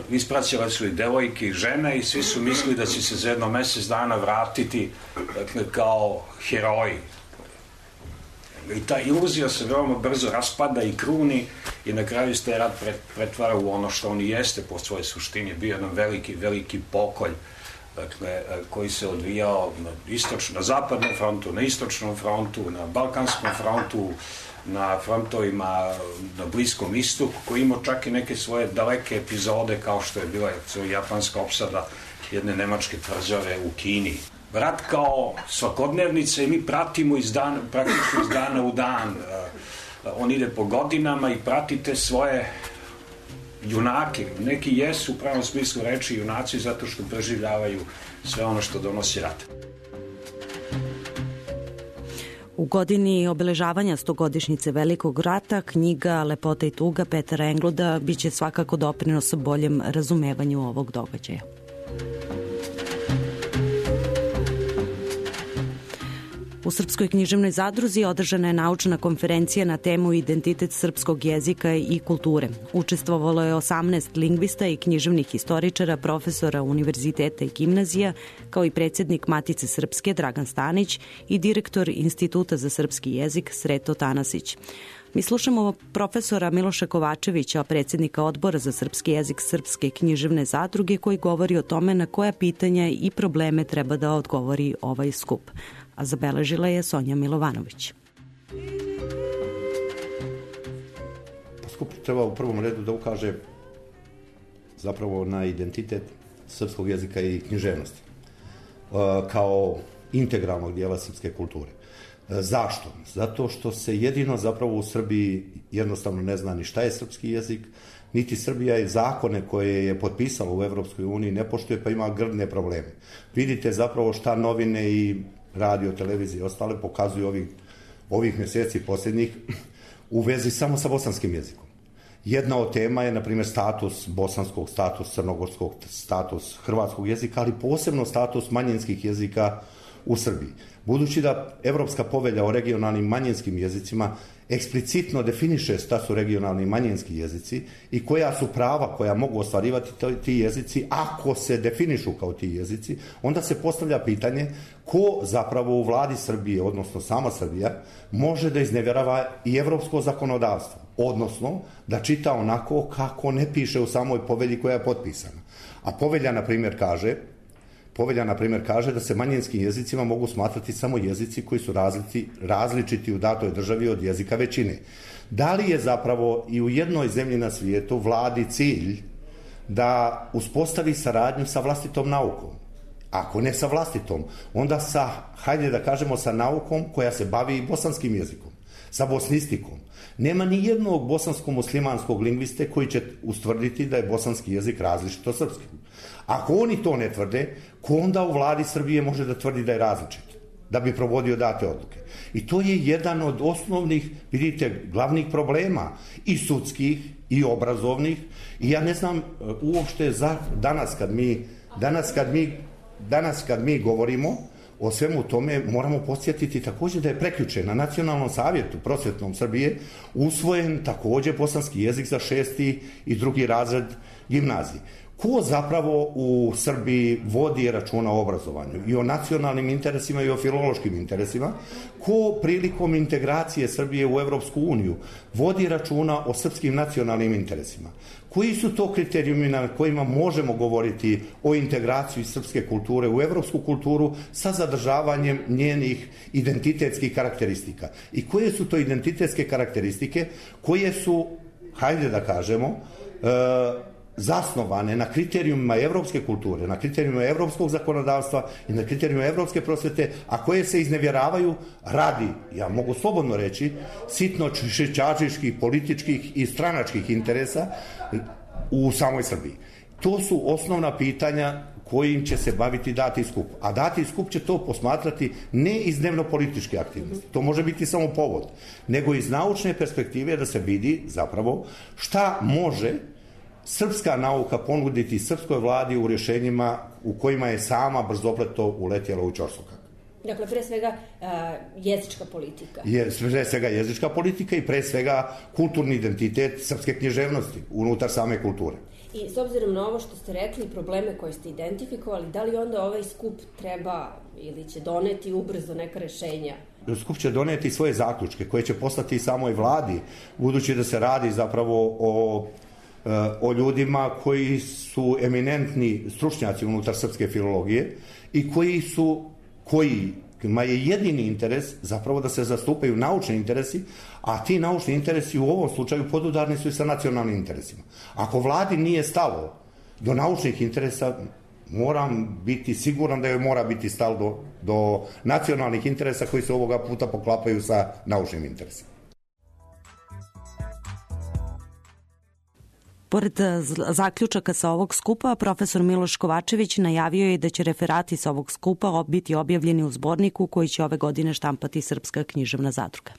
ispraćale su i devojke i žene i svi su mislili da će se za jedno mesec dana vratiti, dakle, kao heroji. I ta iluzija se veoma brzo raspada i kruni i na kraju se taj rat pretvara u ono što on i jeste po svojoj suštini. Bio jedan veliki pokolj, dakle, koji se odvijao na zapadnom frontu, na istočnom frontu, na balkanskom frontu, na frontovima na Bliskom istoku, koji imao čak i neke svoje daleke epizode, kao što je bila japanska opsada jedne nemačke tvrđave u Kini. Rat kao svakodnevnica i mi pratimo praktično iz dana u dan. On ide po godinama i pratite svoje junake. Neki jesu u pravom smislu reči junaci zato što preživljavaju sve ono što donosi rat. U godini obeležavanja 100-godišnjice Velikog rata knjiga Lepota i tuga Petera Engluda biće svakako doprinos boljem razumevanju ovog događaja. U Srpskoj književnoj zadruzi održana je naučna konferencija na temu Identitet srpskog jezika i kulture. Učestvovalo je 18 lingvista i književnih historičara, profesora univerziteta i gimnazija, kao i predsjednik Matice Srpske Dragan Stanić i direktor Instituta za srpski jezik Sreto Tanasić. Mi slušamo profesora Miloša Kovačevića, predsjednika Odbora za srpski jezik Srpske književne zadruge, koji govori o tome na koja pitanja i probleme treba da odgovori ovaj skup. A zabeležila je Sonja Milovanović. Skup treba u prvom redu da ukaže zapravo na identitet srpskog jezika i književnosti kao integralnog dijela srpske kulture. Zašto? Zato što se jedino zapravo u Srbiji jednostavno ne zna ni šta je srpski jezik, niti Srbija i zakone koje je potpisala u Evropskoj uniji ne poštuje, pa ima grdne probleme. Vidite zapravo šta novine i radio, televizije i ostale pokazuju ovih mjeseci posljednjih u vezi samo sa bosanskim jezikom. Jedna od tema je, na primjer, status bosanskog, status crnogorskog, status hrvatskog jezika, ali posebno status manjinskih jezika u Srbiji. Budući da Evropska povelja o regionalnim manjinskim jezicima eksplicitno definiše šta su regionalni manjinski jezici i koja su prava koja mogu ostvarivati ti jezici ako se definišu kao ti jezici, onda se postavlja pitanje ko zapravo u vladi Srbije, odnosno sama Srbija, može da iznevjerava i evropsko zakonodavstvo, odnosno da čita onako kako ne piše u samoj povelji koja je potpisana. A povelja, na primjer, kaže da se manjinskim jezicima mogu smatrati samo jezici koji su različiti u datoj državi od jezika većine. Da li je zapravo i u jednoj zemlji na svijetu vladi cilj da uspostavi saradnju sa vlastitom naukom? Ako ne sa vlastitom, onda hajde da kažemo sa naukom koja se bavi i bosanskim jezikom, sa bosnistikom. Nema ni jednog bosansko-muslimanskog lingviste koji će ustvrditi da je bosanski jezik različit od srpskog. Ako oni to ne tvrde, ko onda u vladi Srbije može da tvrdi da je različit, da bi provodio date odluke? I to je jedan od osnovnih, vidite, glavnih problema i sudskih i obrazovnih. I ja ne znam uopšte danas kad mi govorimo o svemu tome, moramo podsjetiti također da je prekjuče na Nacionalnom savjetu prosvetnom Srbije usvojen također bosanski jezik za 6. i 2. razred gimnazije. Ko zapravo u Srbiji vodi računa o obrazovanju i o nacionalnim interesima i o filološkim interesima? Ko prilikom integracije Srbije u Evropsku uniju vodi računa o srpskim nacionalnim interesima? Koji su to kriterijumi na kojima možemo govoriti o integraciji srpske kulture u evropsku kulturu sa zadržavanjem njenih identitetskih karakteristika? I koje su to identitetske karakteristike koje su, hajde da kažemo, zasnovane na kriterijumima evropske kulture, na kriterijumima evropskog zakonodavstva i na kriterijumima evropske prosvete, a koje se iznevjeravaju radi, ja mogu slobodno reći, sitno-čačiških, političkih i stranačkih interesa u samoj Srbiji. To su osnovna pitanja kojim će se baviti dati skup. A dati skup će to posmatrati ne iz dnevno-političke aktivnosti, to može biti samo povod, nego iz naučne perspektive da se vidi zapravo šta može srpska nauka ponuditi srpskoj vladi u rješenjima u kojima je sama brzopleto uletjela u ćorsokak. Dakle, pre svega jezička politika. Pre svega jezička politika i pre svega kulturni identitet srpske književnosti unutar same kulture. I s obzirom na ovo što ste rekli, probleme koje ste identifikovali, da li onda ovaj skup treba ili će doneti ubrzo neka rešenja? Skup će doneti svoje zaključke koje će poslati i samoj vladi, budući da se radi zapravo o ljudima koji su eminentni stručnjaci unutar srpske filologije i kojima je jedini interes zapravo da se zastupaju naučni interesi, a ti naučni interesi u ovom slučaju podudarni su i sa nacionalnim interesima. Ako vladi nije stalo do naučnih interesa, moram biti siguran da joj mora biti stalo do nacionalnih interesa koji se ovoga puta poklapaju sa naučnim interesima. Pored zaključaka sa ovog skupa, profesor Miloš Kovačević najavio je da će referati sa ovog skupa biti objavljeni u zborniku koji će ove godine štampati Srpska književna zadruga.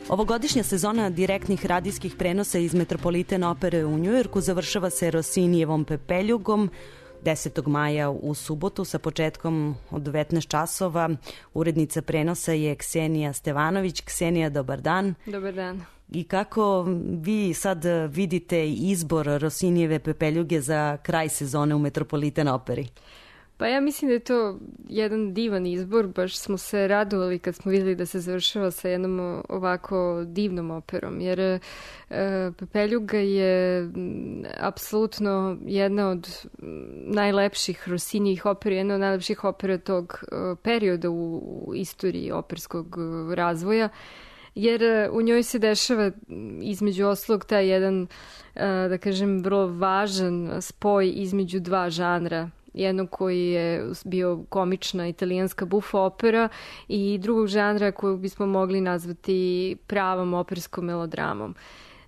Ovogodišnja sezona direktnih radijskih prenosa iz Metropolitan opere u Njujorku završava se Rossinijevom Pepeljugom. 10. maja u subotu sa početkom od 19 časova. Urednica prenosa je Ksenija Stevanović. Ksenija, dobar dan. Dobar dan. I kako vi sad vidite izbor Rossinijeve Pepeljuge za kraj sezone u Metropolitan operi? Pa ja mislim da je to jedan divan izbor, baš smo se radovali kad smo vidjeli da se završava sa jednom ovako divnom operom, jer Pepeljuga je apsolutno jedna od najlepših Rossinijih opera, jedna od najlepših opera tog perioda u istoriji operskog razvoja, jer u njoj se dešava između ostalog taj jedan, da kažem, vrlo važan spoj između dva žanra. Jednog koji je bio komična italijanska buffo opera i drugog žanra koju bismo mogli nazvati pravom operskom melodramom.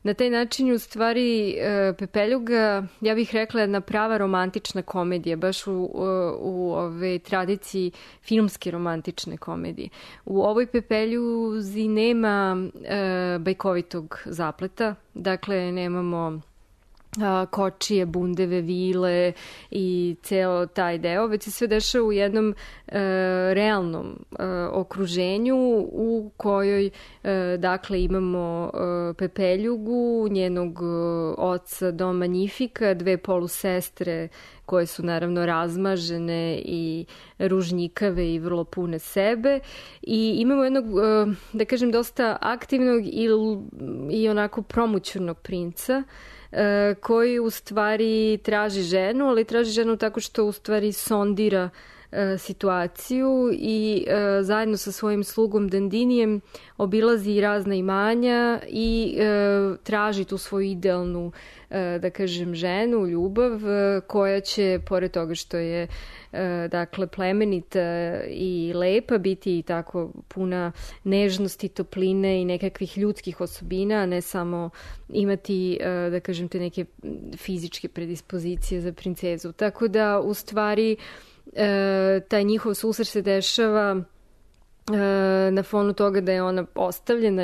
Na taj način u stvari Pepeljuga, ja bih rekla, jedna prava romantična komedija, baš u ove tradiciji filmske romantične komedije. U ovoj Pepeljuzi nema bajkovitog zapleta, dakle nemamo kočije, bundeve, vile i ceo taj deo, već se sve dešava u jednom realnom okruženju u kojoj dakle imamo Pepeljugu, njenog oca Don Magnifica, dve polusestre koje su naravno razmažene i ružnjikave i vrlo pune sebe, i imamo jednog, da kažem, dosta aktivnog i onako promućurnog princa koji u stvari traži ženu, ali traži ženu tako što u stvari sondira situaciju i zajedno sa svojim slugom Dandinijem obilazi razna imanja i traži tu svoju idealnu, da kažem, ženu, ljubav, koja će, pored toga što je dakle plemenita i lepa, biti i tako puna nežnosti, topline i nekakvih ljudskih osobina, a ne samo imati, da kažem, te neke fizičke predispozicije za princezu. Tako da u stvari taj njihov susret se dešava na fonu toga da je ona ostavljena,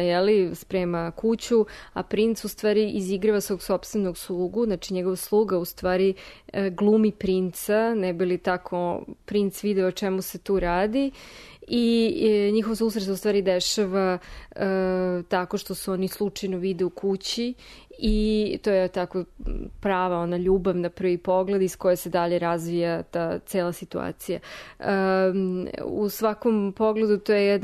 sprema kuću, a princ u stvari izigrava svog sopstvenog slugu, znači njegov sluga u stvari glumi princa, ne bi li tako princ video o čemu se tu radi, i njihov susret se u stvari dešava tako što se oni slučajno vide u kući i to je tako prava ona ljubav na prvi pogled iz koje se dalje razvija ta cela situacija. U svakom pogledu to je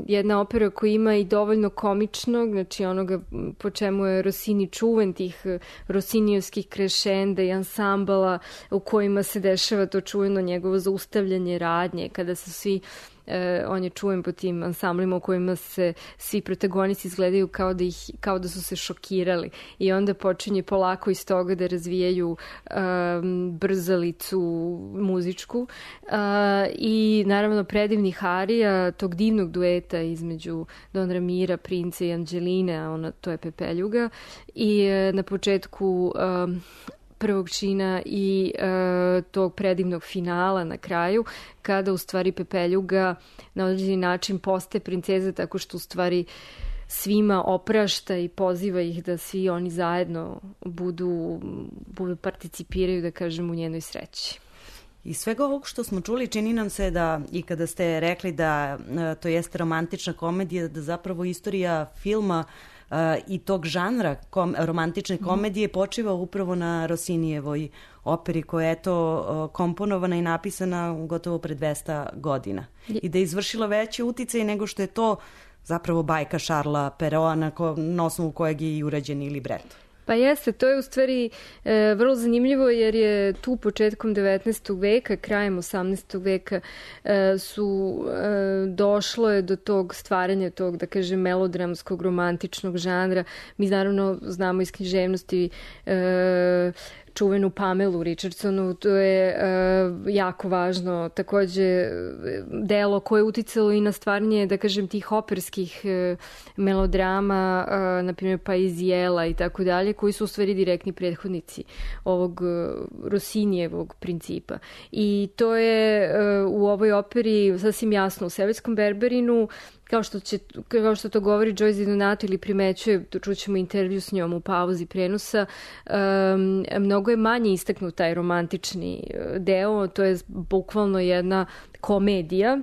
jedna opera koja ima i dovoljno komičnog, znači onoga po čemu je Rossini čuven, tih Rossinijevskih krešenda i ansambala u kojima se dešava to čuveno njegovo zaustavljanje radnje, kada su svi on je čuven po tim ansamblima u kojima se svi protagonisti izgledaju kao da su se šokirali, i onda počinje polako iz toga da razvijaju brzalicu muzičku i naravno predivnih arija tog divnog dueta između Don Ramira, princa i Anđeline, a to je Pepeljuga, i na početku prvog čina i tog predivnog finala na kraju, kada u stvari Pepeljuga na određeni način postaje princeza tako što u stvari svima oprašta i poziva ih da svi oni zajedno budu participiraju, da kažem, u njenoj sreći. Iz svega ovog što smo čuli, čini nam se da, i kada ste rekli da to jeste romantična komedija, da zapravo istorija filma i tog žanra romantične komedije počiva upravo na Rossinijevoj operi koja je komponovana i napisana gotovo pre 200 godina. I da je izvršila veći uticaj nego što je to zapravo bajka Šarla Peroa na osnovu kojeg je i urađen i libreto. Pa jeste, to je u stvari vrlo zanimljivo, jer je tu početkom 19. veka, krajem 18. veka došlo je do tog stvaranja tog, da kažem, melodramskog, romantičnog žanra. Mi naravno znamo iz književnosti čuvenu Pamelu Richardsonu, to je jako važno, takođe delo koje je uticalo i na stvaranje, da kažem, tih operskih melodrama, na primjer Paisiela i tako dalje, koji su u stvari direktni prethodnici ovog Rossinijevog principa. I to je u ovoj operi sasvim jasno. U Sevetskom Berberinu, kao što to govori Joyce Di Donato ili primećuje, čućemo intervju s njom u pauzi prenosa, mnogo je manje istaknut taj romantični deo, to je bukvalno jedna komedija,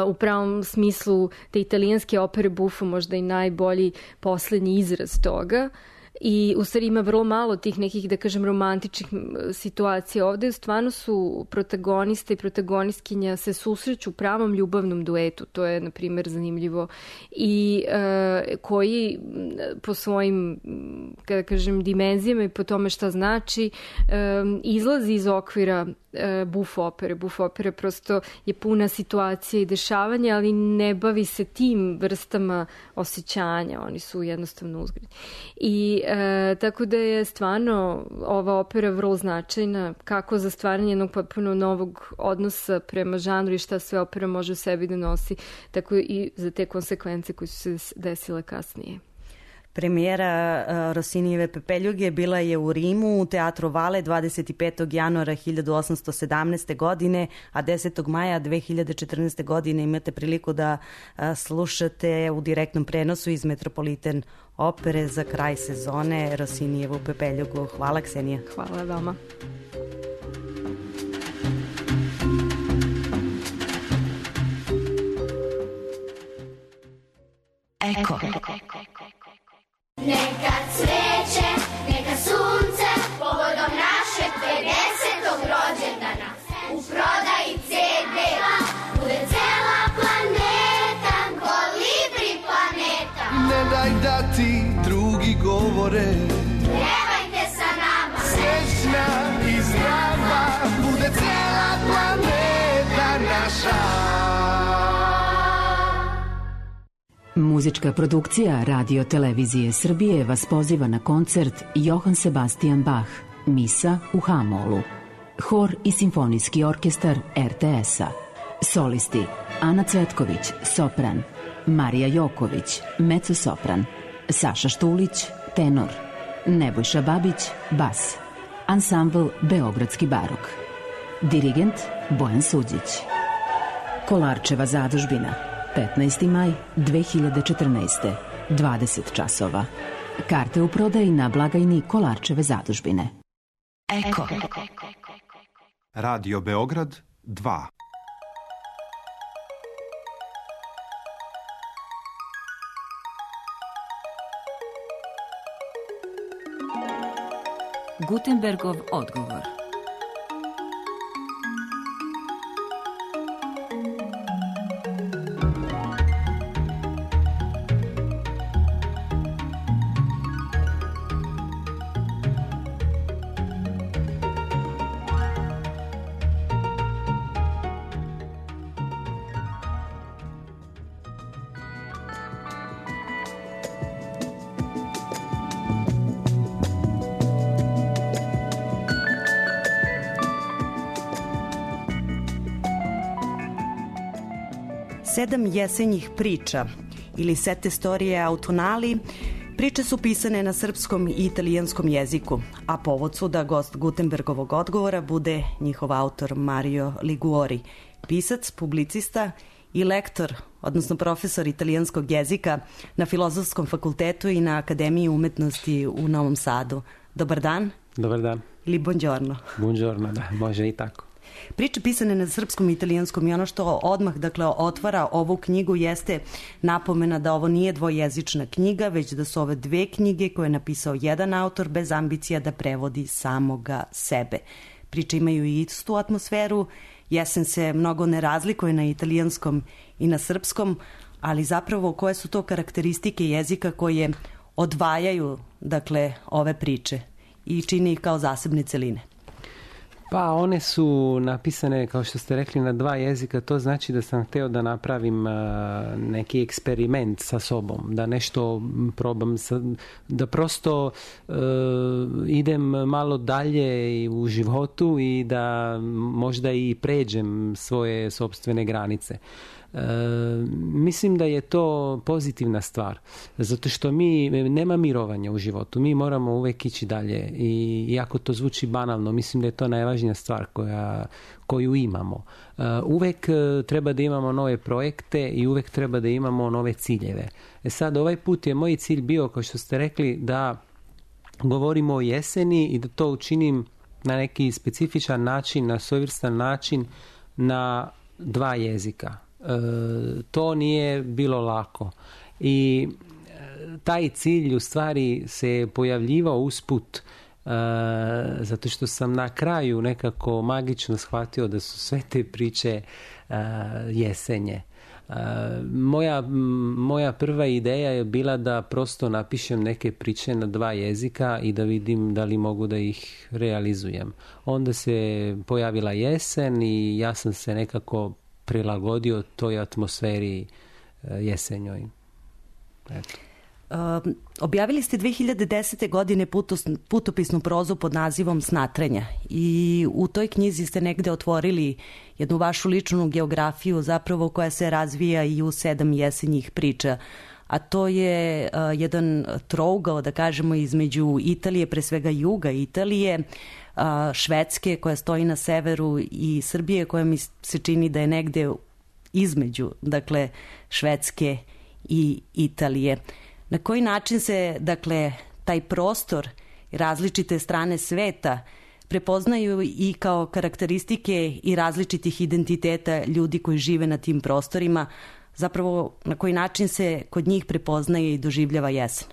u pravom smislu te italijanske opere Buffo možda i najbolji poslednji izraz toga. I u stvari ima vrlo malo tih nekih, da kažem, romantičnih situacija. Ovde stvarno su protagonista i protagonistkinja se susreću u pravom ljubavnom duetu. To je, na primjer, zanimljivo. I koji po svojim, kada kažem, dimenzijama i po tome šta znači, izlazi iz okvira Buffo opere. Buffo opere prosto je puna situacija i dešavanja, ali ne bavi se tim vrstama osjećanja. Oni su jednostavno uzgred. I tako da je stvarno ova opera vrlo značajna, kako za stvaranje jednog potpuno novog odnosa prema žanru i šta sve opera može u sebi da nosi, tako i za te konsekvence koje su se desile kasnije. Premijera Rossinijeve Pepeljuge bila je u Rimu u Teatru Vale 25. januara 1817. godine, a 10. maja 2014. godine imate priliku da slušate u direktnom prenosu iz Metropolitan opere za kraj sezone Rossinijevu Pepeljugu. Hvala, Ksenija. Hvala vama. Eko. Neka cveće, neka sunce, povodom našeg 50. rođendana, u prodaji CD-a, bude cela planeta, kolibri planeta. Ne daj da ti drugi govore, Pevajte sa nama, srećna i zdrava, bude cela planeta naša. Muzička produkcija Radio Televizije Srbije vas poziva na koncert Johann Sebastian Bach, Misa u H-molu. Hor i simfonijski orkestar RTS-a. Solisti Ana Cvetković, sopran, Marija Joković, mezzo-sopran, Saša Štulić, tenor, Nebojša Babić, bas. Ansambl Beogradski barok. Dirigent Bojan Suđić. Kolarčeva zadužbina, 15. maj 2014. 20 časova. Karte u prodaji na blagajni Kolarčeve zadužbine. Eko. Radio Beograd 2. Gutenbergov odgovor. Sedam jesenjih priča ili sete storije autonali, priče su pisane na srpskom i italijanskom jeziku, a povod su da gost Gutenbergovog odgovora bude njihov autor Mario Liguori, pisac, publicista i lektor, odnosno profesor italijanskog jezika na Filozofskom fakultetu i na Akademiji umetnosti u Novom Sadu. Dobar dan. Dobar dan. Ili buongiorno. Buongiorno, da, može i tako. Priče pisane na srpskom i italijanskom i ono što odmah otvara ovu knjigu jeste napomena da ovo nije dvojezična knjiga, već da su ove dve knjige koje je napisao jedan autor bez ambicija da prevodi samoga sebe. Priče imaju i istu atmosferu, jesen se mnogo ne razlikuje na italijanskom i na srpskom, ali zapravo koje su to karakteristike jezika koje odvajaju ove priče i čini ih kao zasebne celine? Pa one su napisane, kao što ste rekli, na dva jezika. To znači da sam hteo da napravim neki eksperiment sa sobom, da nešto probam, da prosto idem malo dalje u životu i da možda i pređem svoje sopstvene granice. Mislim da je to pozitivna stvar, zato što nema mirovanja u životu, mi moramo uvek ići dalje i iako to zvuči banalno, mislim da je to najvažnija stvar koju imamo. Uvek treba da imamo nove projekte i uvek treba da imamo nove ciljeve. Sad, ovaj put je moj cilj bio, kao što ste rekli, da govorimo o jeseni i da to učinim na neki specifičan način, na svojevrstan način, na 2 jezika. To nije bilo lako. I taj cilj u stvari se pojavljivao usput, zato što sam na kraju nekako magično shvatio da su sve te priče jesenje. Moja prva ideja je bila da prosto napišem neke priče na 2 jezika i da vidim da li mogu da ih realizujem. Onda se pojavila jesen i ja sam se nekako prilagodio toj atmosferi jesenjoj. Eto. Objavili ste 2010. godine putopisnu prozu pod nazivom Snatranja i u toj knjizi ste negde otvorili jednu vašu ličnu geografiju zapravo koja se razvija i u 7 jesenjih priča, a to je jedan trougao, da kažemo, između Italije, pre svega juga Italije, Švedske koja stoji na severu i Srbije koja mi se čini da je negde između, dakle, Švedske i Italije. Na koji način se, dakle, taj prostor, različite strane sveta prepoznaju i kao karakteristike i različitih identiteta ljudi koji žive na tim prostorima, zapravo na koji način se kod njih prepoznaje i doživljava jesen?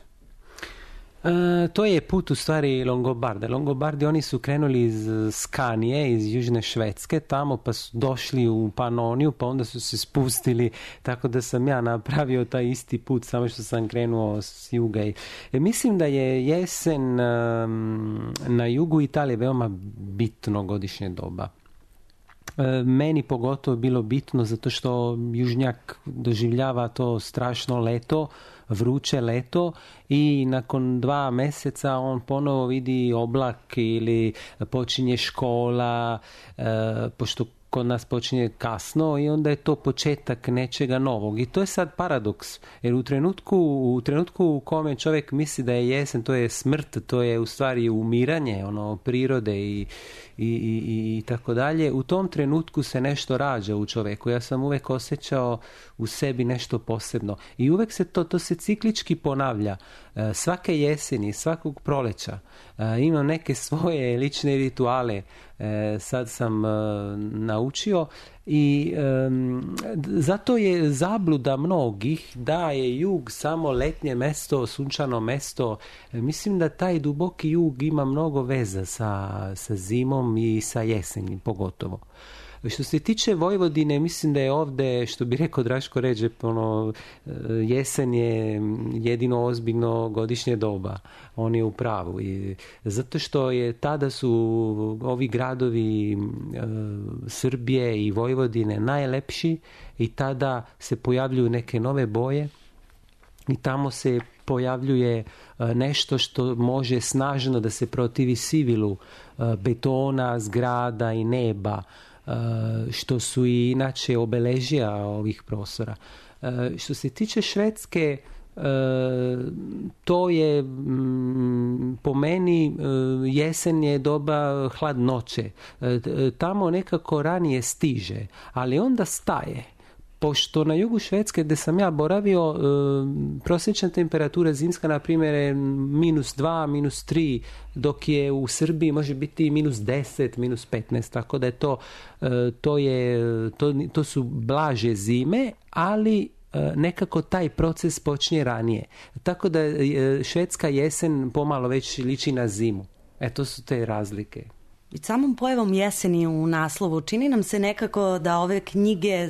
To je put u stvari Longobarda. Longobardi, oni su krenuli iz Skanije, iz južne Švedske, tamo pa su došli u Panoniju, pa onda su se spustili, tako da sam ja napravio taj isti put, samo što sam krenuo s juga. Mislim da je jesen na jugu Italije veoma bitno godišnje doba. Meni pogotovo bilo bitno zato što južnjak doživljava to strašno leto, vruće leto i nakon 2 meseca on ponovo vidi oblak ili počinje škola, pošto kod nas počinje kasno i onda je to početak nečega novog. I to je sad paradoks, jer u trenutku u kome čovjek misli da je jesen, to je smrt, to je u stvari umiranje prirode i tako dalje, u tom trenutku se nešto rađa u čovjeku. Ja sam uvek osjećao u sebi nešto posebno i uvek se to se ciklički ponavlja. Svake jeseni, svakog proleća imam neke svoje lične rituale, sad sam naučio i zato je zabluda mnogih da je jug samo letnje mesto, sunčano mesto. Mislim da taj duboki jug ima mnogo veza sa zimom i sa jesenjem pogotovo. Što se tiče Vojvodine, mislim da je ovde, što bi rekao Draško Ređep, jesen je jedino ozbiljno godišnje doba. On je u pravu. I zato što je tada su ovi gradovi Srbije i Vojvodine najlepši i tada se pojavljuju neke nove boje i tamo se pojavljuje nešto što može snažno da se protivi sivilu betona, zgrada i neba, što su i inače obeležija ovih prostora. Što se tiče Švedske, to je po meni jesen je doba hladnoće. Tamo nekako ranije stiže, ali onda staje. Pošto na jugu Švedske gde sam ja boravio, prosječna temperatura zimska na primjer je -2, -3, dok je u Srbiji može biti -10, -15, tako da je to su blaže zime, ali nekako taj proces počinje ranije. Tako da švedska jesen pomalo već liči na zimu. To su te razlike. I samom pojavom jeseni u naslovu čini nam se nekako da ove knjige,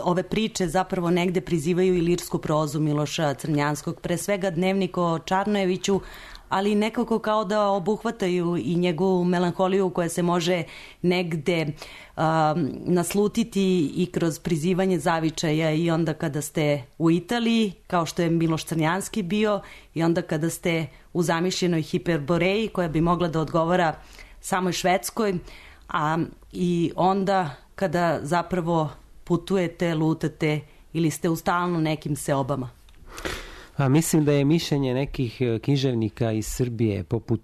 ove priče zapravo negde prizivaju i lirsku prozu Miloša Crnjanskog, pre svega Dnevnik o Čarnojeviću, ali nekako kao da obuhvataju i njegovu melanholiju koja se može negde naslutiti i kroz prizivanje zavičaja i onda kada ste u Italiji, kao što je Miloš Crnjanski bio, i onda kada ste u zamišljenoj hiperboreji koja bi mogla da odgovara samoj Švedskoj, a i onda kada zapravo putujete, lutate ili ste u stalno nekim seobama? A mislim da je mišljenje nekih književnika iz Srbije, poput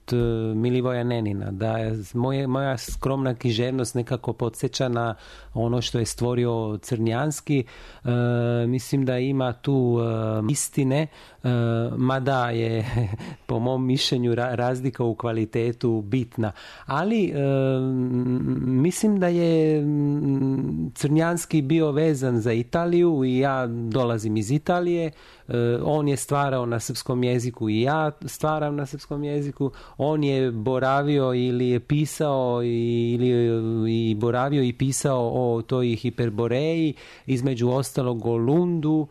Milivoja Nenina, da je moja skromna književnost nekako podsjeća na ono što je stvorio Crnjanski. Mislim da ima tu istine, mada je po mom mišljenju razlika u kvalitetu bitna. Ali mislim da je Crnjanski bio vezan za Italiju i ja dolazim iz Italije. On je stvarao na srpskom jeziku i ja stvaram na srpskom jeziku. On je boravio ili je pisao i boravio i pisao o toj Hiperboreji, između ostalog o Lundu,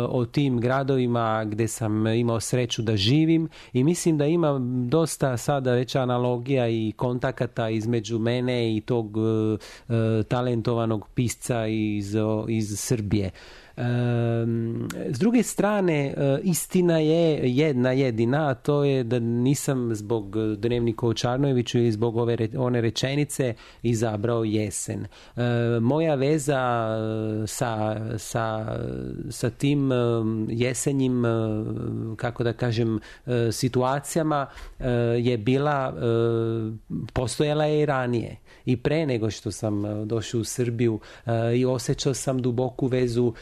o tim gradovima gdje sam imao sreću da živim, i mislim da ima dosta sada već analogija i kontakata između mene i tog talentovanog pisca iz Srbije. S druge strane, istina je jedna jedina, a to je da nisam zbog Dnevnika o Čarnojeviću ili zbog one rečenice izabrao jesen. Moja veza sa tim jesenjim, kako da kažem, situacijama je bila, postojala je i ranije. I pre nego što sam došao u Srbiju i osjećao sam duboku vezu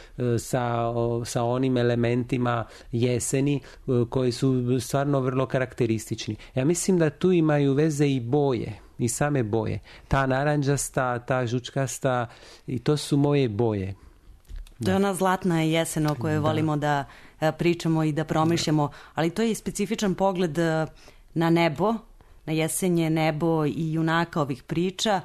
sa onim elementima jeseni koji su stvarno vrlo karakteristični. Ja mislim da tu imaju veze i boje, i same boje. Ta naranđasta, ta žučkasta, i to su moje boje. To je ona zlatna jesen o kojoj volimo da pričamo i da promišljamo, ali to je i specifičan pogled na nebo, na jesenje nebo i junaka ovih priča,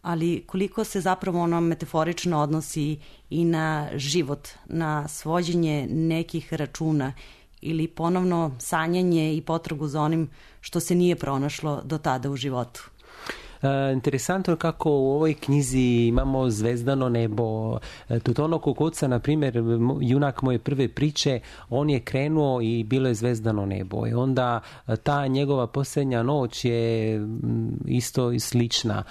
ali koliko se zapravo ono metaforično odnosi i na život, na svođenje nekih računa ili ponovno sanjanje i potragu za onim što se nije pronašlo do tada u životu. Interesantno kako u ovoj knjizi imamo zvezdano nebo. Totono Kokoca, na primjer, junak moje prve priče, on je krenuo i bilo je zvezdano nebo. I onda ta njegova posljednja noć je isto i slična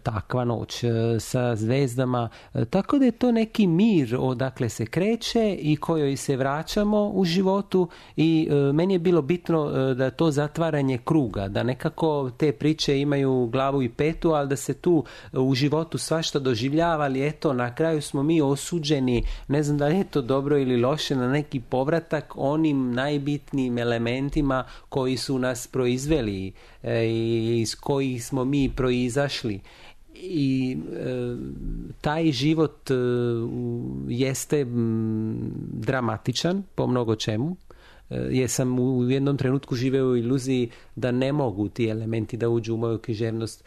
takva noć sa zvezdama. Tako da je to neki mir odakle se kreće i kojoj se vraćamo u životu, i meni je bilo bitno da to zatvaranje kruga, da nekako te priče imaju glavu i petu, ali da se tu u životu svašta doživljava, ali eto, na kraju smo mi osuđeni, ne znam da li je to dobro ili loše, na neki povratak onim najbitnijim elementima koji su nas proizveli i iz kojih smo mi proizašli. I taj život jeste dramatičan po mnogo čemu. Jer sam u jednom trenutku živeo u iluziji da ne mogu ti elementi da uđu u moju književnost.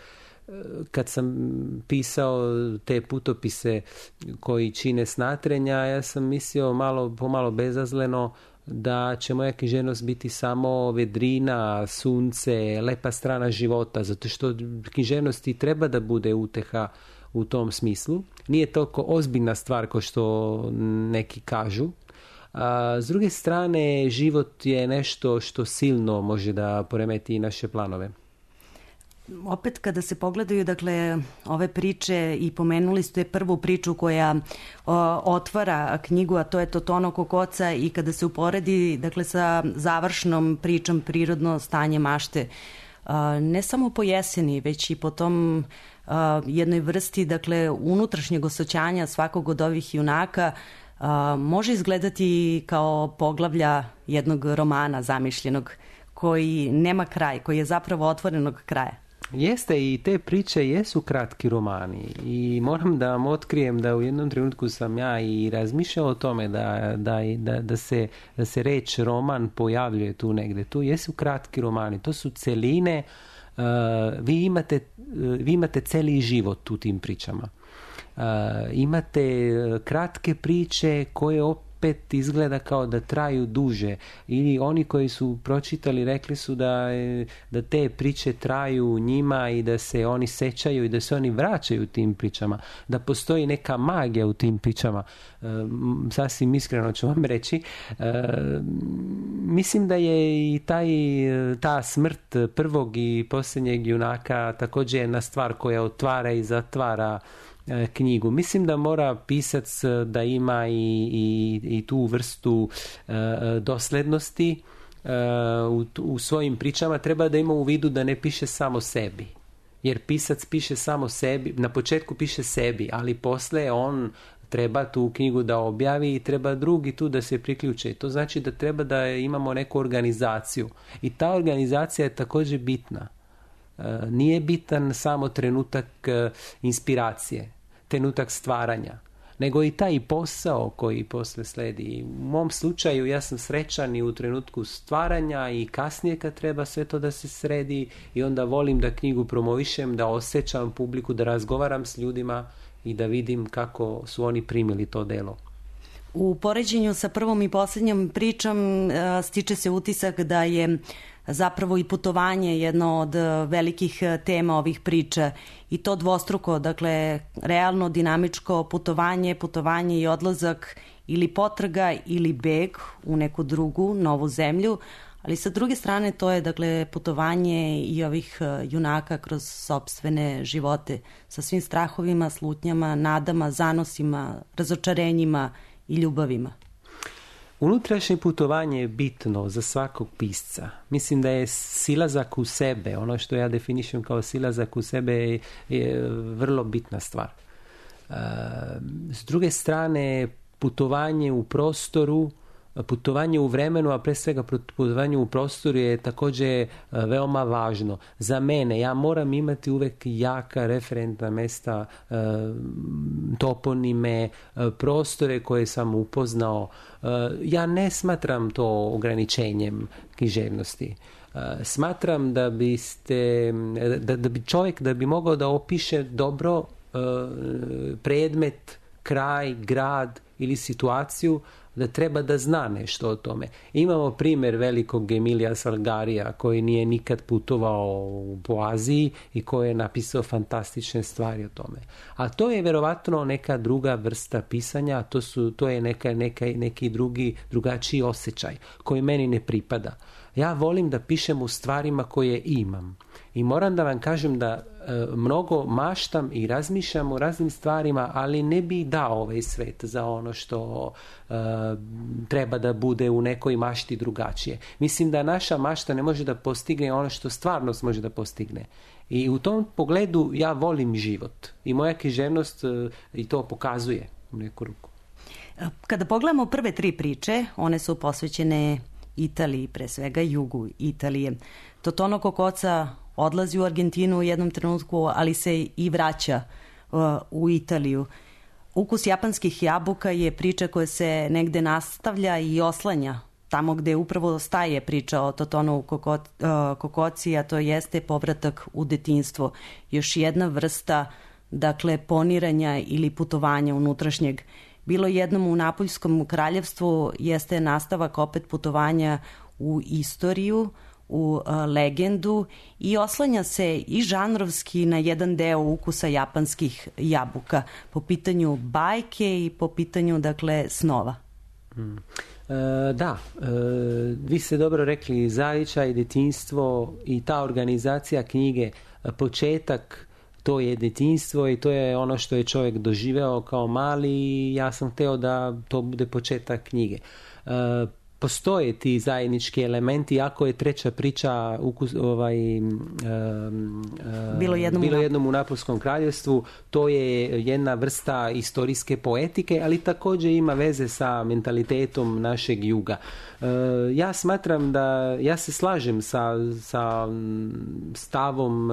Kad sam pisao te putopise koji čine Snatrenja, ja sam mislio pomalo bezazleno da će moja književnost biti samo vedrina, sunce, lepa strana života, zato što književnost i treba da bude uteha u tom smislu. Nije toliko ozbiljna stvar kao što neki kažu. A s druge strane, život je nešto što silno može da poremeti i naše planove. Opet kada se pogledaju, dakle, ove priče, i pomenuli ste prvu priču koja otvara knjigu, a to je Totono Kokoca, i kada se uporedi, dakle, sa završnom pričom Prirodno stanje mašte, ne samo po jeseni, već i po tom jednoj vrsti, dakle, unutrašnjeg osjećanja svakog od ovih junaka, može izgledati kao poglavlja jednog romana zamišljenog koji nema kraj, koji je zapravo otvorenog kraja. Jeste, i te priče jesu kratki romani, i moram da vam otkrijem da u jednom trenutku sam ja i razmišljao o tome da se reč roman pojavljuje tu negde. Tu jesu kratki romani, to su celine, vi imate celi život u tim pričama. Imate kratke priče koje opet izgleda kao da traju duže, ili oni koji su pročitali rekli su da te priče traju njima i da se oni sećaju i da se oni vraćaju tim pričama, da postoji neka magija u tim pričama. Sasvim iskreno ću vam reći, mislim da je i ta smrt prvog i posljednjeg junaka također jedna stvar koja otvara i zatvara knjigu. Mislim da mora pisac da ima i tu vrstu doslednosti u svojim pričama. Treba da ima u vidu da ne piše samo sebi. Jer pisac piše samo sebi, na početku piše sebi, ali posle on treba tu knjigu da objavi i treba drugi tu da se priključe. To znači da treba da imamo neku organizaciju. I ta organizacija je također bitna. Nije bitan samo trenutak inspiracije, trenutak stvaranja, nego i taj posao koji posle sledi. U mom slučaju ja sam srećan i u trenutku stvaranja i kasnije kad treba sve to da se sredi i onda volim da knjigu promovišem, da osjećam publiku, da razgovaram s ljudima i da vidim kako su oni primili to delo. U poređenju sa prvom i posljednjom pričom stiče se utisak da je zapravo i putovanje jedno od velikih tema ovih priča i to dvostruko, dakle realno dinamičko putovanje i odlazak ili potraga ili beg u neku drugu novu zemlju, ali sa druge strane to je dakle putovanje i ovih junaka kroz sopstvene živote sa svim strahovima, slutnjama, nadama, zanosima, razočarenjima i ljubavima. Unutrašnje putovanje je bitno za svakog pisca. Mislim da je silazak u sebe, ono što ja definišem kao silazak u sebe je vrlo bitna stvar. S druge strane, putovanje u prostoru, putovanje u vremenu, a pre svega putovanje u prostoru je također veoma važno. Za mene, ja moram imati uvek jaka referentna mesta, toponime, prostore koje sam upoznao. Ja ne smatram to ograničenjem književnosti. Smatram da bi čovjek da bi mogao da opiše dobro predmet, kraj, grad ili situaciju, da treba da zna nešto o tome. Imamo primjer velikog Emilija Salgarija koji nije nikad putovao po Aziji i koji je napisao fantastične stvari o tome. A to je verovatno neka druga vrsta pisanja, to je neki drugačiji osjećaj koji meni ne pripada. Ja volim da pišem u stvarima koje imam. I moram da vam kažem da mnogo maštam i razmišljam o raznim stvarima, ali ne bi dao ovaj svet za ono što treba da bude u nekoj mašti drugačije. Mislim da naša mašta ne može da postigne ono što stvarnost može da postigne. I u tom pogledu ja volim život. I moja književnost i to pokazuje u neku ruku. Kada pogledamo prve 3 priče, one su posvećene Italiji, pre svega jugu Italije. Totono Kokoca odlazi u Argentinu u jednom trenutku, ali se i vraća u Italiju. Ukus japanskih jabuka je priča koja se negde nastavlja i oslanja tamo gde upravo staje priča o Totonu Kokoci, a to jeste povratak u detinjstvo. Još jedna vrsta, dakle, poniranja ili putovanja unutrašnjeg. Bilo jednom u Napoljskom kraljevstvu jeste nastavak opet putovanja u istoriju, u legendu i oslanja se i žanrovski na jedan deo ukusa japanskih jabuka po pitanju bajke i po pitanju, dakle, snova. Vi ste dobro rekli, zavičaj, detinjstvo i ta organizacija knjige, početak, to je detinjstvo i to je ono što je čovjek doživeo kao mali i ja sam hteo da to bude početak knjige. Postoje ti zajednički elementi, iako je treća priča Bilo jednom u Napolskom kraljevstvu, to je jedna vrsta istorijske poetike, ali također ima veze sa mentalitetom našeg juga. Ja smatram ja se slažem sa stavom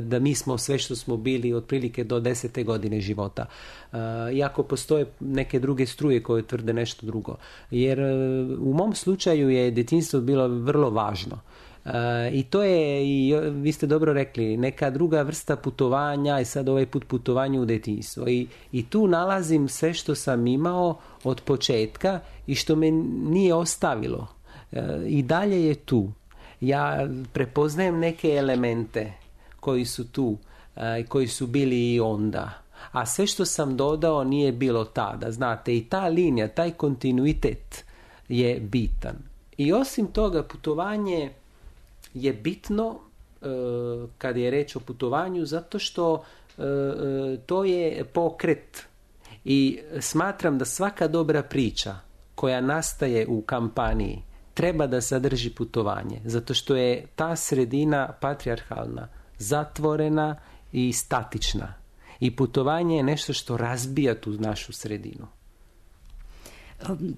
da mi smo sve što smo bili otprilike do 10. godine života. Iako postoje neke druge struje koje tvrde nešto drugo. Jer u mom slučaju je detinjstvo bilo vrlo važno. I to je, i vi ste dobro rekli, neka druga vrsta putovanja i sad ovaj put putovanje u detinjstvo. I tu nalazim sve što sam imao od početka i što me nije ostavilo. I dalje je tu. Ja prepoznajem neke elemente koji su tu, koji su bili i onda. A sve što sam dodao nije bilo tada, znate, i ta linija, taj kontinuitet je bitan. I osim toga, putovanje je bitno kad je reč o putovanju, zato što to je pokret. I smatram da svaka dobra priča koja nastaje u kampaniji treba da sadrži putovanje, zato što je ta sredina patrijarhalna, zatvorena i statična. I putovanje je nešto što razbija tu našu sredinu.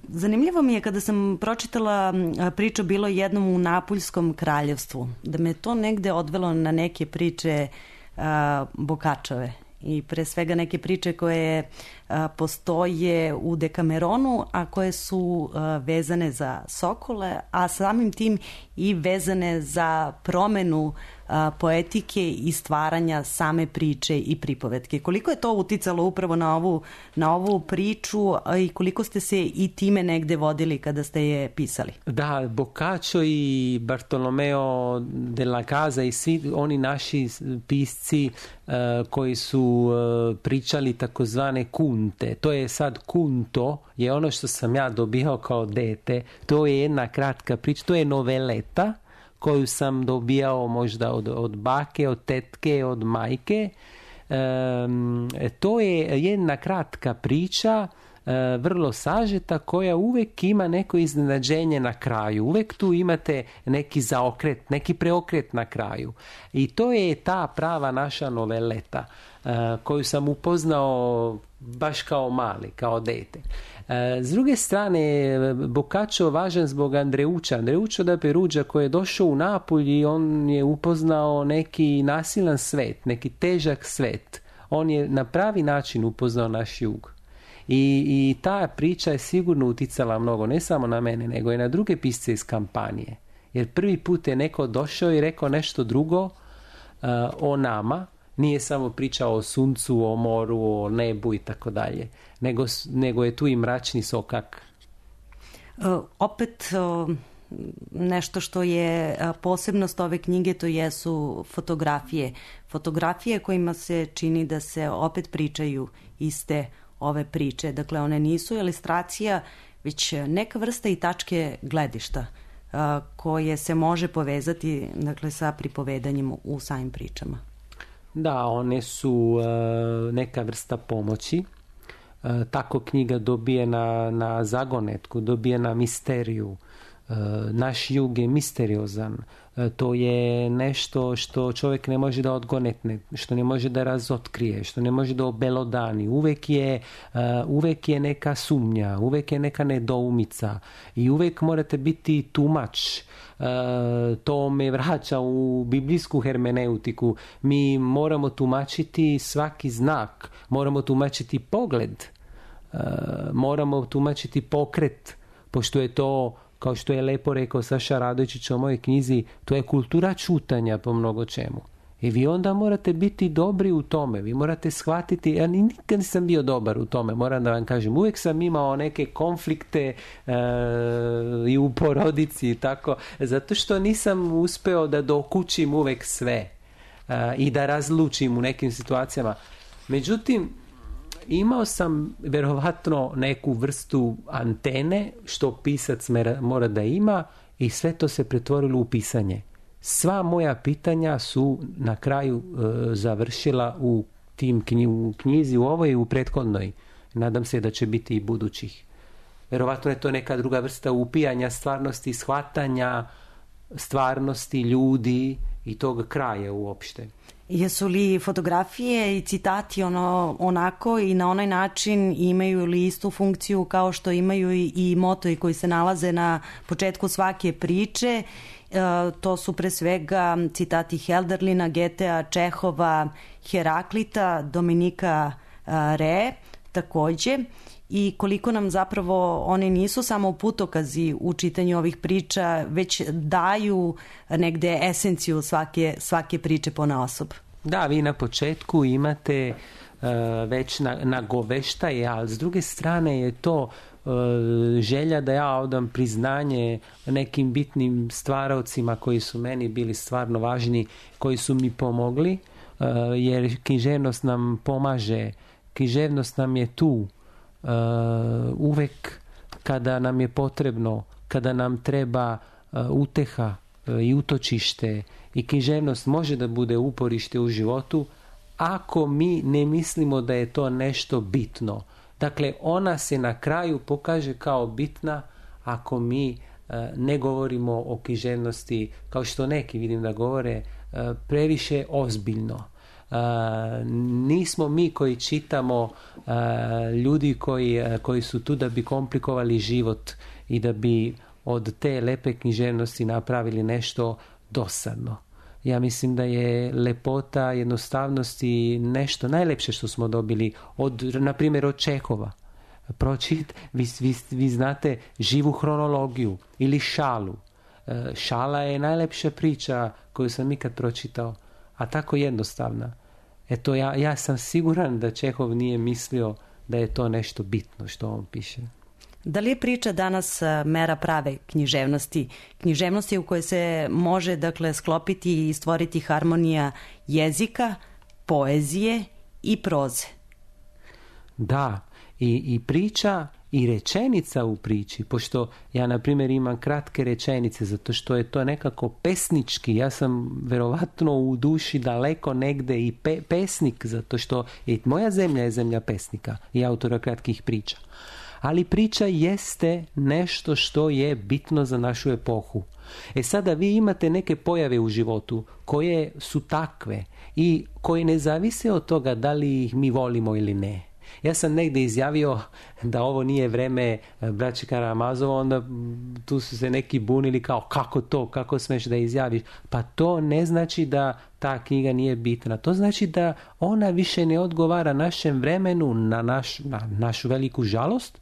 Zanimljivo mi je kada sam pročitala priču Bilo jednom u Napuljskom kraljevstvu, da me to negde odvelo na neke priče Bokačove i pre svega neke priče koje postoje u Dekameronu, a koje su vezane za sokole, a samim tim i vezane za promenu poetike i stvaranja same priče i pripovetke. Koliko je to uticalo upravo na ovu priču i koliko ste se i time negde vodili kada ste je pisali? Da, Boccaccio i Bartolomeo della Casa i svi oni naši pisci koji su pričali takozvane kunte. To je sad kunto, je ono što sam ja dobijao kao dete. To je jedna kratka priča, to je noveleta koju sam dobijao možda od bake, od tetke, od majke. To je jedna kratka priča, vrlo sažeta, koja uvek ima neko iznenađenje na kraju. Uvek tu imate neki zaokret, neki preokret na kraju. I to je ta prava naša noveleta koju sam upoznao baš kao mali, kao dete. S druge strane, Boccaccio važan zbog Andreuccio da Perugia koji je došao u Napulj i on je upoznao neki nasilan svet, neki težak svet. On je na pravi način upoznao naš jug. I ta priča je sigurno uticala mnogo, ne samo na mene, nego i na druge pisce iz kampanije. Jer prvi put je neko došao i rekao nešto drugo o nama, nije samo pričao o suncu, o moru, o nebu i tako dalje, nego je tu i mračni sokak. Opet nešto što je posebnost ove knjige, to jesu fotografije. Fotografije kojima se čini da se opet pričaju iste ove priče. Dakle, one nisu ilustracija, već neka vrsta i tačke gledišta koje se može povezati, dakle, sa pripovedanjem u samim pričama. Da, one su neka vrsta pomoći. Tako knjiga dobije na zagonetku, dobije na misteriju. Naš jug je misteriozan. To je nešto što čovjek ne može da odgonetne, što ne može da razotkrije, što ne može da obelodani. Uvek je neka sumnja, uvek je neka nedoumica i uvek morate biti tumač. To me vraća u biblijsku hermeneutiku. Mi moramo tumačiti svaki znak, moramo tumačiti pogled, moramo tumačiti pokret, pošto je to, kao što je lepo rekao Saša Radojičić o mojoj knjizi, to je kultura čutanja po mnogo čemu. I vi onda morate biti dobri u tome, vi morate shvatiti, ja nikad nisam bio dobar u tome, moram da vam kažem, uvijek sam imao neke konflikte i u porodici i tako, zato što nisam uspeo da dokučim uvijek sve i da razlučim u nekim situacijama. Međutim, imao sam verovatno neku vrstu antene što pisac mora da ima i sve to se pretvorilo u pisanje. Sva moja pitanja su na kraju završila u knjizi, u ovoj i u prethodnoj. Nadam se da će biti i budućih. Verovatno je to neka druga vrsta upijanja stvarnosti, shvatanja stvarnosti ljudi i tog kraja uopšte. Jesu li fotografije i citati onako i na onaj način, imaju li istu funkciju kao što imaju i motovi koji se nalaze na početku svake priče? To su pre svega citati Helderlina, Getea, Čehova, Heraklita, Dominika Re takođe. I koliko nam zapravo one nisu samo putokazi u čitanju ovih priča, već daju negde esenciju svake priče ponaosob. Da, vi na početku imate već nagoveštaje, ali s druge strane je to želja da ja odam priznanje nekim bitnim stvaraocima koji su meni bili stvarno važni, koji su mi pomogli, jer književnost nam pomaže, književnost nam je tu uvek kada nam je potrebno, kada nam treba uteha i utočište, i književnost može da bude uporište u životu, ako mi ne mislimo da je to nešto bitno. Dakle, ona se na kraju pokaže kao bitna ako mi ne govorimo o književnosti, kao što neki vidim da govore, previše ozbiljno. Nismo mi koji čitamo ljudi koji su tu da bi komplikovali život i da bi od te lepe književnosti napravili nešto dosadno. Ja mislim da je lepota, jednostavnosti nešto najlepše što smo dobili na primjer od Čehova. Vi znate živu hronologiju ili šalu. Šala je najlepša priča koju sam ikad pročitao, a tako jednostavna. Eto, ja sam siguran da Čehov nije mislio da je to nešto bitno što on piše. Da li je priča danas mera prave književnosti? Književnosti u kojoj se može, dakle, sklopiti i stvoriti harmonija jezika, poezije i proze? Da, i priča i rečenica u priči, pošto ja na primjer imam kratke rečenice zato što je to nekako pesnički, ja sam verovatno u duši daleko negde i pesnik, zato što moja zemlja je zemlja pesnika i autora kratkih priča. Ali priča jeste nešto što je bitno za našu epohu. Sada vi imate neke pojave u životu koje su takve i koje ne zavise od toga da li ih mi volimo ili ne. Ja sam negdje izjavio da ovo nije vreme braće Karamazova, onda tu su se neki bunili kao kako to, kako smeš da izjaviš. Pa to ne znači da ta knjiga nije bitna. To znači da ona više ne odgovara našem vremenu, na našu veliku žalost,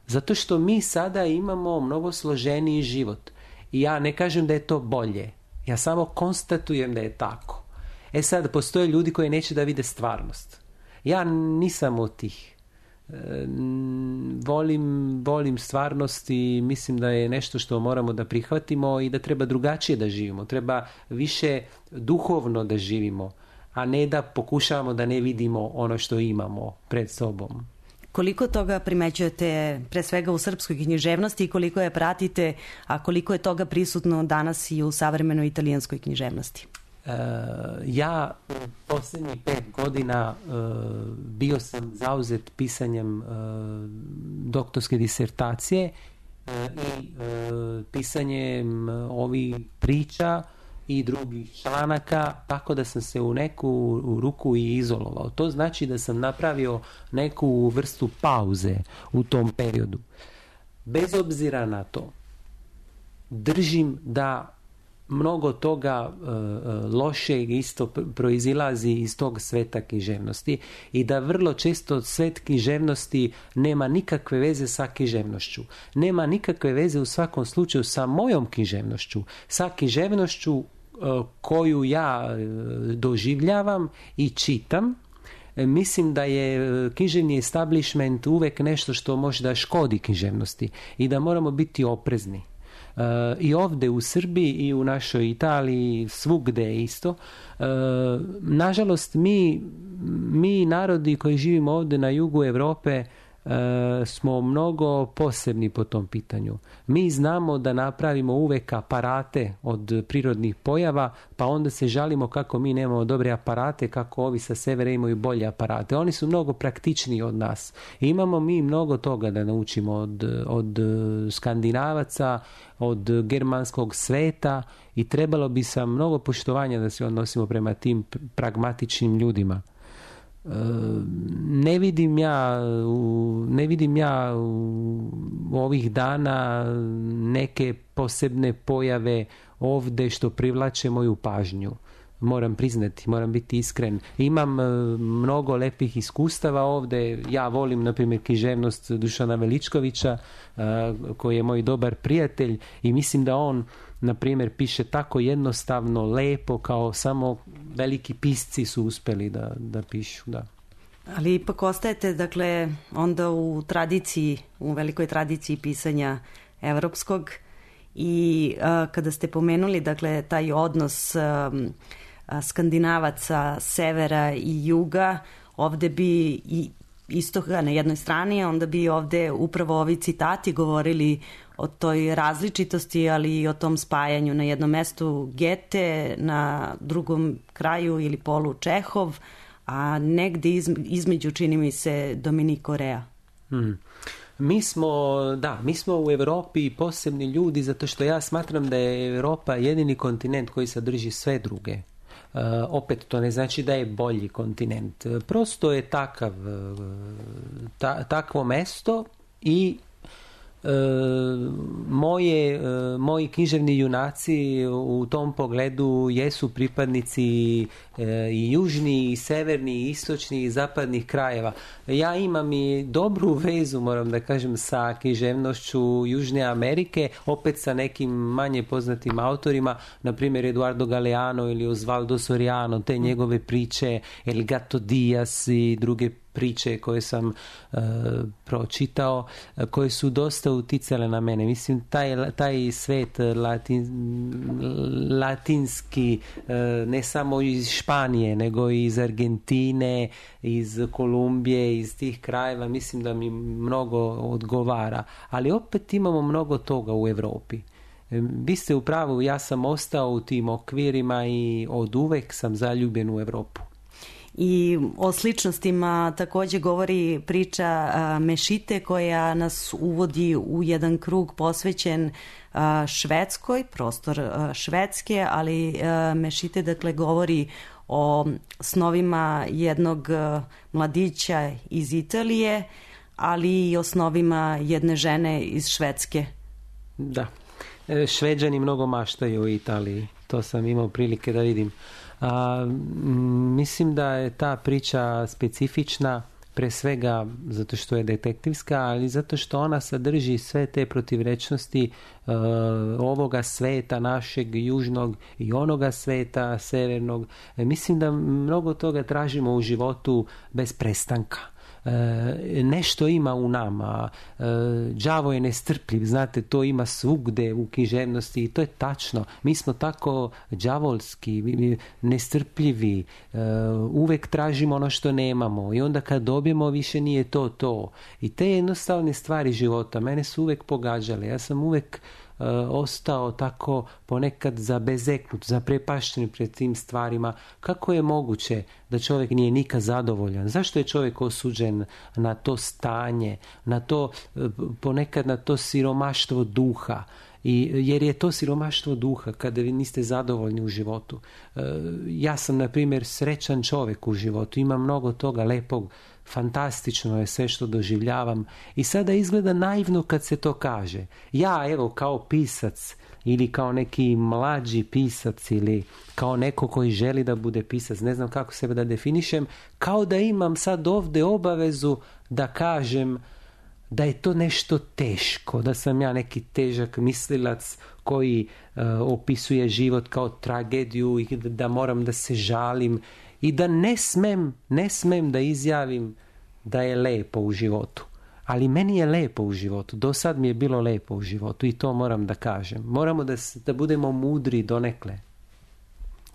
zato što mi sada imamo mnogo složeniji život. I ja ne kažem da je to bolje. Ja samo konstatujem da je tako. Sad, postoje ljudi koji neće da vide stvarnost. Ja nisam od tih. Volim stvarnost i mislim da je nešto što moramo da prihvatimo i da treba drugačije da živimo. Treba više duhovno da živimo, a ne da pokušavamo da ne vidimo ono što imamo pred sobom. Koliko toga primećujete pre svega u srpskoj književnosti i koliko je pratite, a koliko je toga prisutno danas i u savremenoj italijanskoj književnosti? Ja posljednjih 5 godina bio sam zauzet pisanjem doktorske disertacije i pisanjem ovih priča i drugih članaka, tako da sam se u neku ruku i izolovao. To znači da sam napravio neku vrstu pauze u tom periodu. Bez obzira na to, držim da mnogo toga lošeg isto proizilazi iz tog sveta književnosti i da vrlo često svet književnosti nema nikakve veze sa književnošću. Nema nikakve veze u svakom slučaju sa mojom književnošću, sa književnošću koju ja doživljavam i čitam. Mislim da je književni establishment uvek nešto što može da škodi književnosti i da moramo biti oprezni. I ovdje u Srbiji i u našoj Italiji, svugde isto. Nažalost, mi narodi koji živimo ovdje na jugu Europe smo mnogo posebni po tom pitanju. Mi znamo da napravimo uvek aparate od prirodnih pojava, pa onda se žalimo kako mi nemamo dobre aparate, kako ovi sa severa imaju bolje aparate. Oni su mnogo praktičniji od nas. I imamo mi mnogo toga da naučimo od Skandinavaca, od germanskog sveta i trebalo bi sa mnogo poštovanja da se odnosimo prema tim pragmatičnim ljudima. Ne vidim ja u ovih dana neke posebne pojave ovdje što privlače moju pažnju. Moram priznati, moram biti iskren. Imam mnogo lepih iskustava ovdje. Ja volim, na primjer, književnost Dušana Veličkovića, koji je moj dobar prijatelj i mislim da on, na primjer, piše tako jednostavno, lepo, kao samo veliki pisci su uspeli da pišu, da. Ali ipak ostajete, dakle, onda u tradiciji, u velikoj tradiciji pisanja evropskog i kada ste pomenuli, dakle, taj odnos Skandinavaca, severa i juga, ovde bi i istoka na jednoj strani, onda bi ovde upravo ovi citati govorili o toj različitosti, ali i o tom spajanju. Na jednom mestu Goethe, na drugom kraju ili polu Čehov, a negde između, čini mi se, Dominiko Rea. Mi smo u Europi posebni ljudi, zato što ja smatram da je Europa jedini kontinent koji sadrži sve druge. Opet to ne znači da je bolji kontinent. Prosto je takvo mesto i moji književni junaci u tom pogledu jesu pripadnici i južni, i severni, i istočni, i zapadnih krajeva. Ja imam i dobru vezu, moram da kažem, sa književnošću Južne Amerike, opet sa nekim manje poznatim autorima, na primjer Eduardo Galeano ili Osvaldo Soriano, te njegove priče, El Gato Diaz i druge priče koje sam pročitao, koje su dosta uticale na mene. Mislim, taj svet latinski, ne samo iz Španije, nego i iz Argentine, iz Kolumbije, iz tih krajeva, mislim da mi mnogo odgovara. Ali opet imamo mnogo toga u Europi. Vi ste u pravu, ja sam ostao u tim okvirima i od uvek sam zaljubljen u Europu. I o sličnostima takođe govori priča Mešite, koja nas uvodi u jedan krug posvećen Švedskoj, prostor Švedske, ali Mešite dakle govori o snovima jednog mladića iz Italije, ali i o snovima jedne žene iz Švedske. Da, Šveđani mnogo maštaju u Italiji, to sam imao prilike da vidim. Mislim da je ta priča specifična, pre svega zato što je detektivska, ali zato što ona sadrži sve te protivrečnosti ovoga sveta našeg južnog i onoga sveta severnog. Mislim da mnogo toga tražimo u životu bez prestanka. Nešto ima u nama, đavo je nestrpljiv, znate, to ima svugde u književnosti i to je tačno. Mi smo tako đavolski, nestrpljivi, uvek tražimo ono što nemamo i onda kad dobijemo više nije to. I te jednostavne stvari života mene su uvek pogađale. Ja sam uvek ostao tako ponekad zabezeknut, zaprepašten pred tim stvarima. Kako je moguće da čovjek nije nikad zadovoljan? Zašto je čovjek osuđen na to stanje, na to, ponekad na to siromaštvo duha? Jer je to siromaštvo duha kada vi niste zadovoljni u životu. Ja sam, na primjer, srećan čovjek u životu, imam mnogo toga lepog, fantastično je sve što doživljavam i sada izgleda naivno kad se to kaže. Ja, evo, kao pisac ili kao neki mlađi pisac ili kao neko koji želi da bude pisac, ne znam kako sebe da definišem, kao da imam sad ovdje obavezu da kažem da je to nešto teško, da sam ja neki težak mislilac koji opisuje život kao tragediju i da moram da se žalim i da ne smem da izjavim da je lepo u životu. Ali meni je lepo u životu, do sad mi je bilo lepo u životu i to moram da kažem. Moramo da budemo mudri donekle.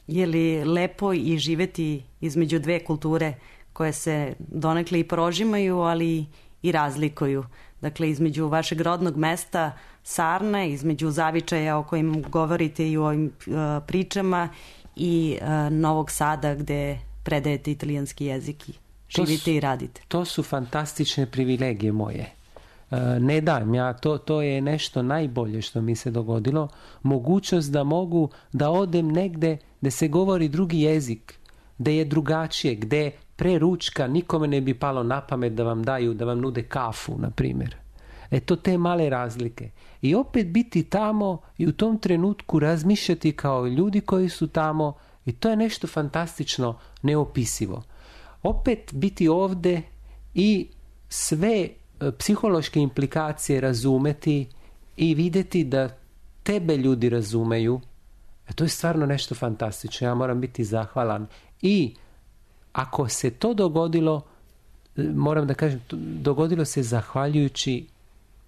Je li lepo i živeti između dve kulture koje se donekle i prožimaju, ali i razlikuju? Dakle, između vašeg rodnog mesta Sarne, između zavičaja o kojim govorite i u ovim pričama i Novog Sada gde predajete italijanski jezik i živite i radite. To su fantastične privilegije moje. Ne dam ja, to je nešto najbolje što mi se dogodilo. Mogućnost da mogu da odem negde gde se govori drugi jezik, gde je drugačije, gde pre ručka nikome ne bi palo na pamet da vam nude kafu, na primjer. Eto te male razlike. I opet biti tamo i u tom trenutku razmišljati kao ljudi koji su tamo i to je nešto fantastično, neopisivo. Opet biti ovdje i sve psihološke implikacije razumeti i vidjeti da tebe ljudi razumeju, to je stvarno nešto fantastično. Ja moram biti zahvalan. I ako se to dogodilo, moram da kažem, dogodilo se zahvaljujući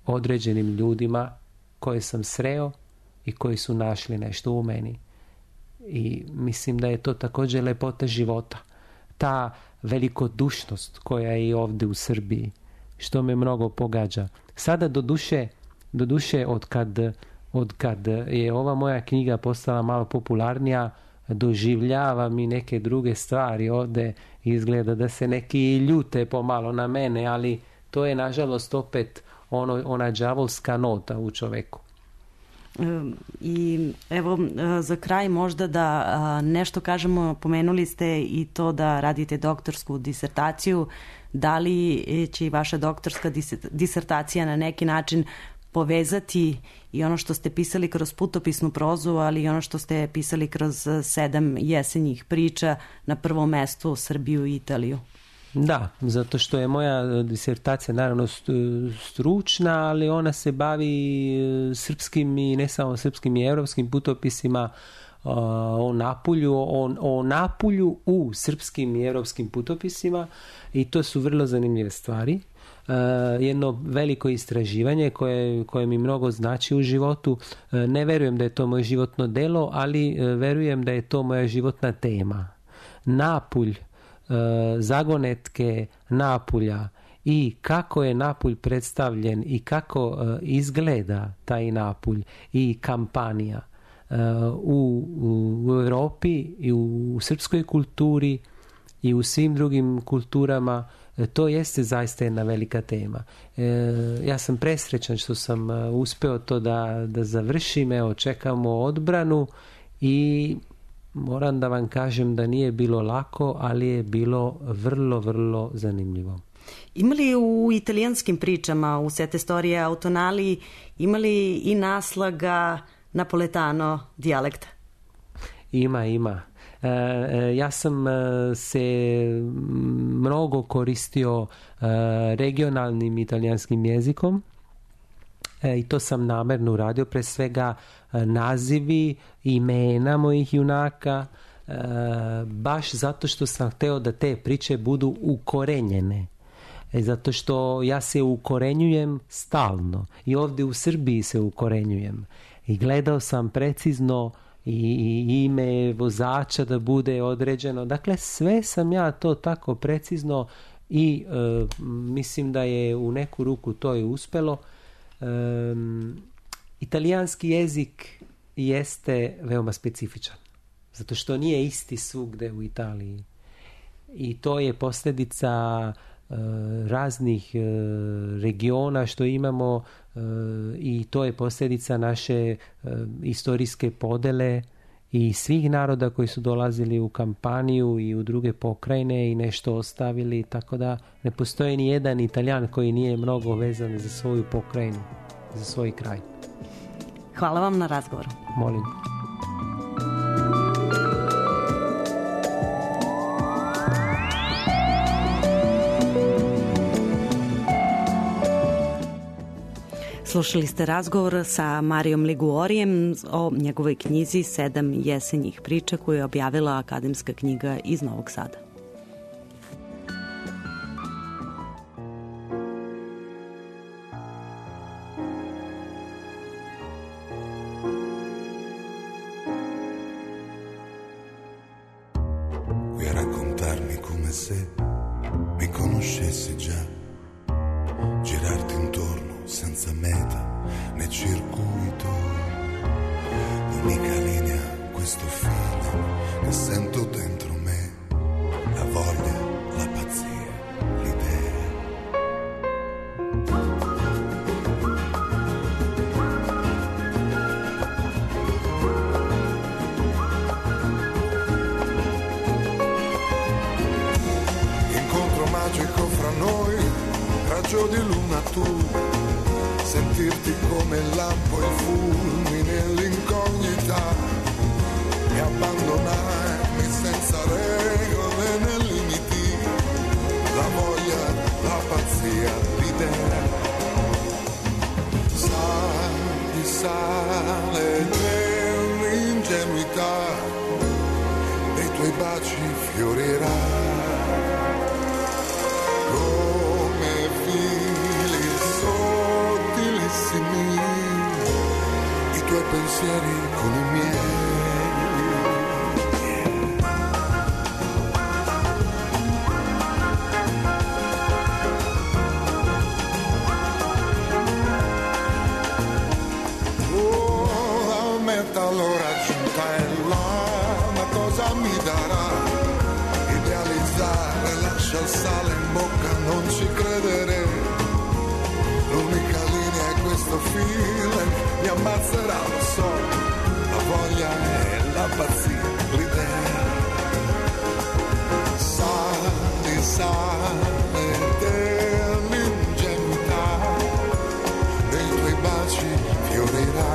određenim ljudima koje sam sreo i koji su našli nešto u meni. I mislim da je to također lepota života. Ta velikodušnost koja je i ovdje u Srbiji, što me mnogo pogađa. Sada doduše od kad je ova moja knjiga postala malo popularnija, doživljavam i neke druge stvari. Ovdje izgleda da se neki ljute pomalo na mene, ali to je nažalost opet ona đavolska nota u čoveku. I evo za kraj možda da nešto kažemo, pomenuli ste i to da radite doktorsku disertaciju. Da li će i vaša doktorska disertacija na neki način povezati i ono što ste pisali kroz putopisnu prozu, ali i ono što ste pisali kroz 7 jesenjih priča, na prvom mestu Srbiju i Italiju? Da, zato što je moja disertacija naravno stručna, ali ona se bavi srpskim i ne samo srpskim i evropskim putopisima o Napulju u srpskim i evropskim putopisima, i to su vrlo zanimljive stvari. Jedno veliko istraživanje koje mi mnogo znači u životu. Ne verujem da je to moje životno delo, ali verujem da je to moja životna tema. Napulj, zagonetke Napulja i kako je Napulj predstavljen i kako izgleda taj Napulj i kampanija u Europi i u srpskoj kulturi i u svim drugim kulturama. To jeste zaista jedna velika tema. Ja sam presrećan što sam uspeo to da završim. Evo, čekamo odbranu i moram da vam kažem da nije bilo lako, ali je bilo vrlo, vrlo zanimljivo. Imali u italijanskim pričama, u Sette Storie Autonali, imali i naslaga napoletano dijalekta? Ima. Ja sam se mnogo koristio regionalnim italijanskim jezikom i to sam namerno uradio, pre svega nazivi, imena mojih junaka, baš zato što sam hteo da te priče budu ukorenjene. Zato što ja se ukorenjujem stalno i ovdje u Srbiji se ukorenjujem. I gledao sam precizno i ime vozača da bude određeno. Dakle, sve sam ja to tako precizno i mislim da je u neku ruku to i uspelo. Italijanski jezik jeste veoma specifičan, zato što nije isti svugde u Italiji. I to je posljedica raznih regiona što imamo i to je posljedica naše istorijske podele i svih naroda koji su dolazili u kampaniju i u druge pokrajine i nešto ostavili, tako da ne postoji ni jedan Italijan koji nije mnogo vezan za svoju pokrajinu, za svoj kraj. Hvala vam na razgovoru. Molim. Slušali ste razgovor sa Marijom Liguorijem o njegovoj knjizi 7 jesenjih priča koju je objavila Akademska knjiga iz Novog Sada. Vuoi raccontarmi come se mi conoscessi già, girarti intorno senza meta né circuito, l'unica linea, questo feeling che sento dentro me, la voglia, la pazzia, l'idea. Incontro magico fra noi, raggio di luna tu, sentirti come il lampo, il fulmine, l'incognita e abbandonarmi senza regole né limiti, la voglia, la pazzia, l'idea. Sali, sale dell'ingenuità, dei tuoi baci fiorirà come fili sottilissimi, i tuoi pensieri con i miei. Oh, la meta l'ho raggiunta, è là una cosa non ci credere, l'unica linea è questo feeling, mi ammazzerà, lo so, la voglia è la pazzia, l'idea. Sale dell'ingenuità, nei tuoi baci fiorirà